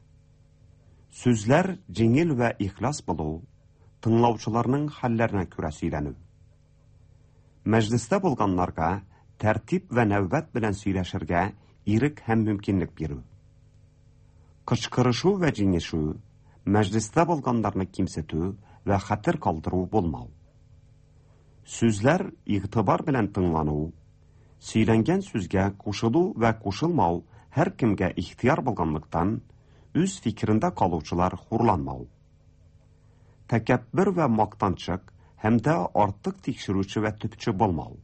Сүзләр җиңел вә ихлас булу, тыңлаучыларның хәлләренә күрә сөйләнү. Мәҗлестә булганнарга тәртип вә нәүбәт белән сөйләшергә ирек һәм мөмкинлек бирү. Кычкырышу вә җиңешү, мәҗлестә булганнарны кимсетү вә хәтер калдыру булмау. Сүзләр игътибар белән тыңлану, сөйләнгән сүзгә кушылу вә кушылмау һәркемгә ихтыяр булганлыктан, үз фикерендә калучылар хурланмау. Тәкәббер вә мактанчык һәм дә артык тикшерүче вә төпче булмау,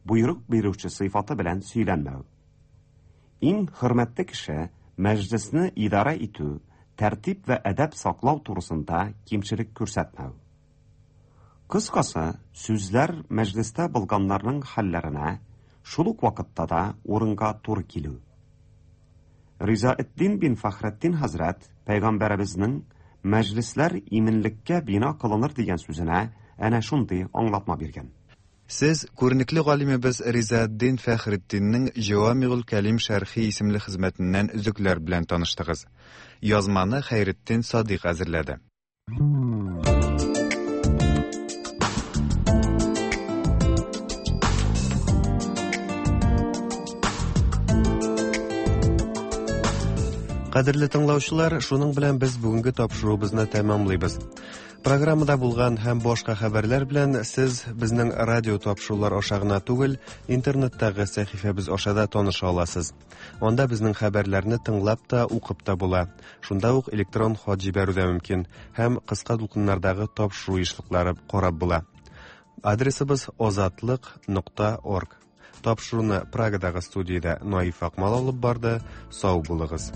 боерык бирүче сыйфаты белән сөйләнмәү. Иң хөрмәтле кеше мәҗлесне идарә итү, тәртип вә әдәп саклау турысында кимчелек күрсәтмәү. Кыскасы, сүзләр мәҗлестә булганнарның хәлләренә, шул ук вакытта да урынга туры килү. Ризаэддин бин Фәхретдин хәзрәт пәйгамбәребезнең мәҗлесләр иминлеккә бина кылыныр дигән сүзенә әнә шундый аңлатма биргән. Сез күренекле галимебез Ризаэддин Фәхретдиннең Җавамигул Кәлим шәрхи исемле хезмәтеннән өзекләр белән таныштыгыз. Язманы Хәйретдин Садыйк әзерләде. Кадерле тыңлаучылар, шуның белән без бүгенге тапшыруыбызны тәмамлыйбыз. Программада булган һәм башка хәбәрләр белән сез безнең радио тапшырулар аша гына түгел, интернеттагы сәхифәбез аша да таныша аласыз. Анда безнең хәбәрләрне тыңлап та, укып та була. Шунда ук электрон хат җибәрү дә мөмкин һәм кыска дулкыннардагы тапшыру ешлыклары карап була. Адресыбыз озатлык.орг. Тапшыруны Прагадагы студиядә Наиф Акмал алып барды. Сау булыгыз.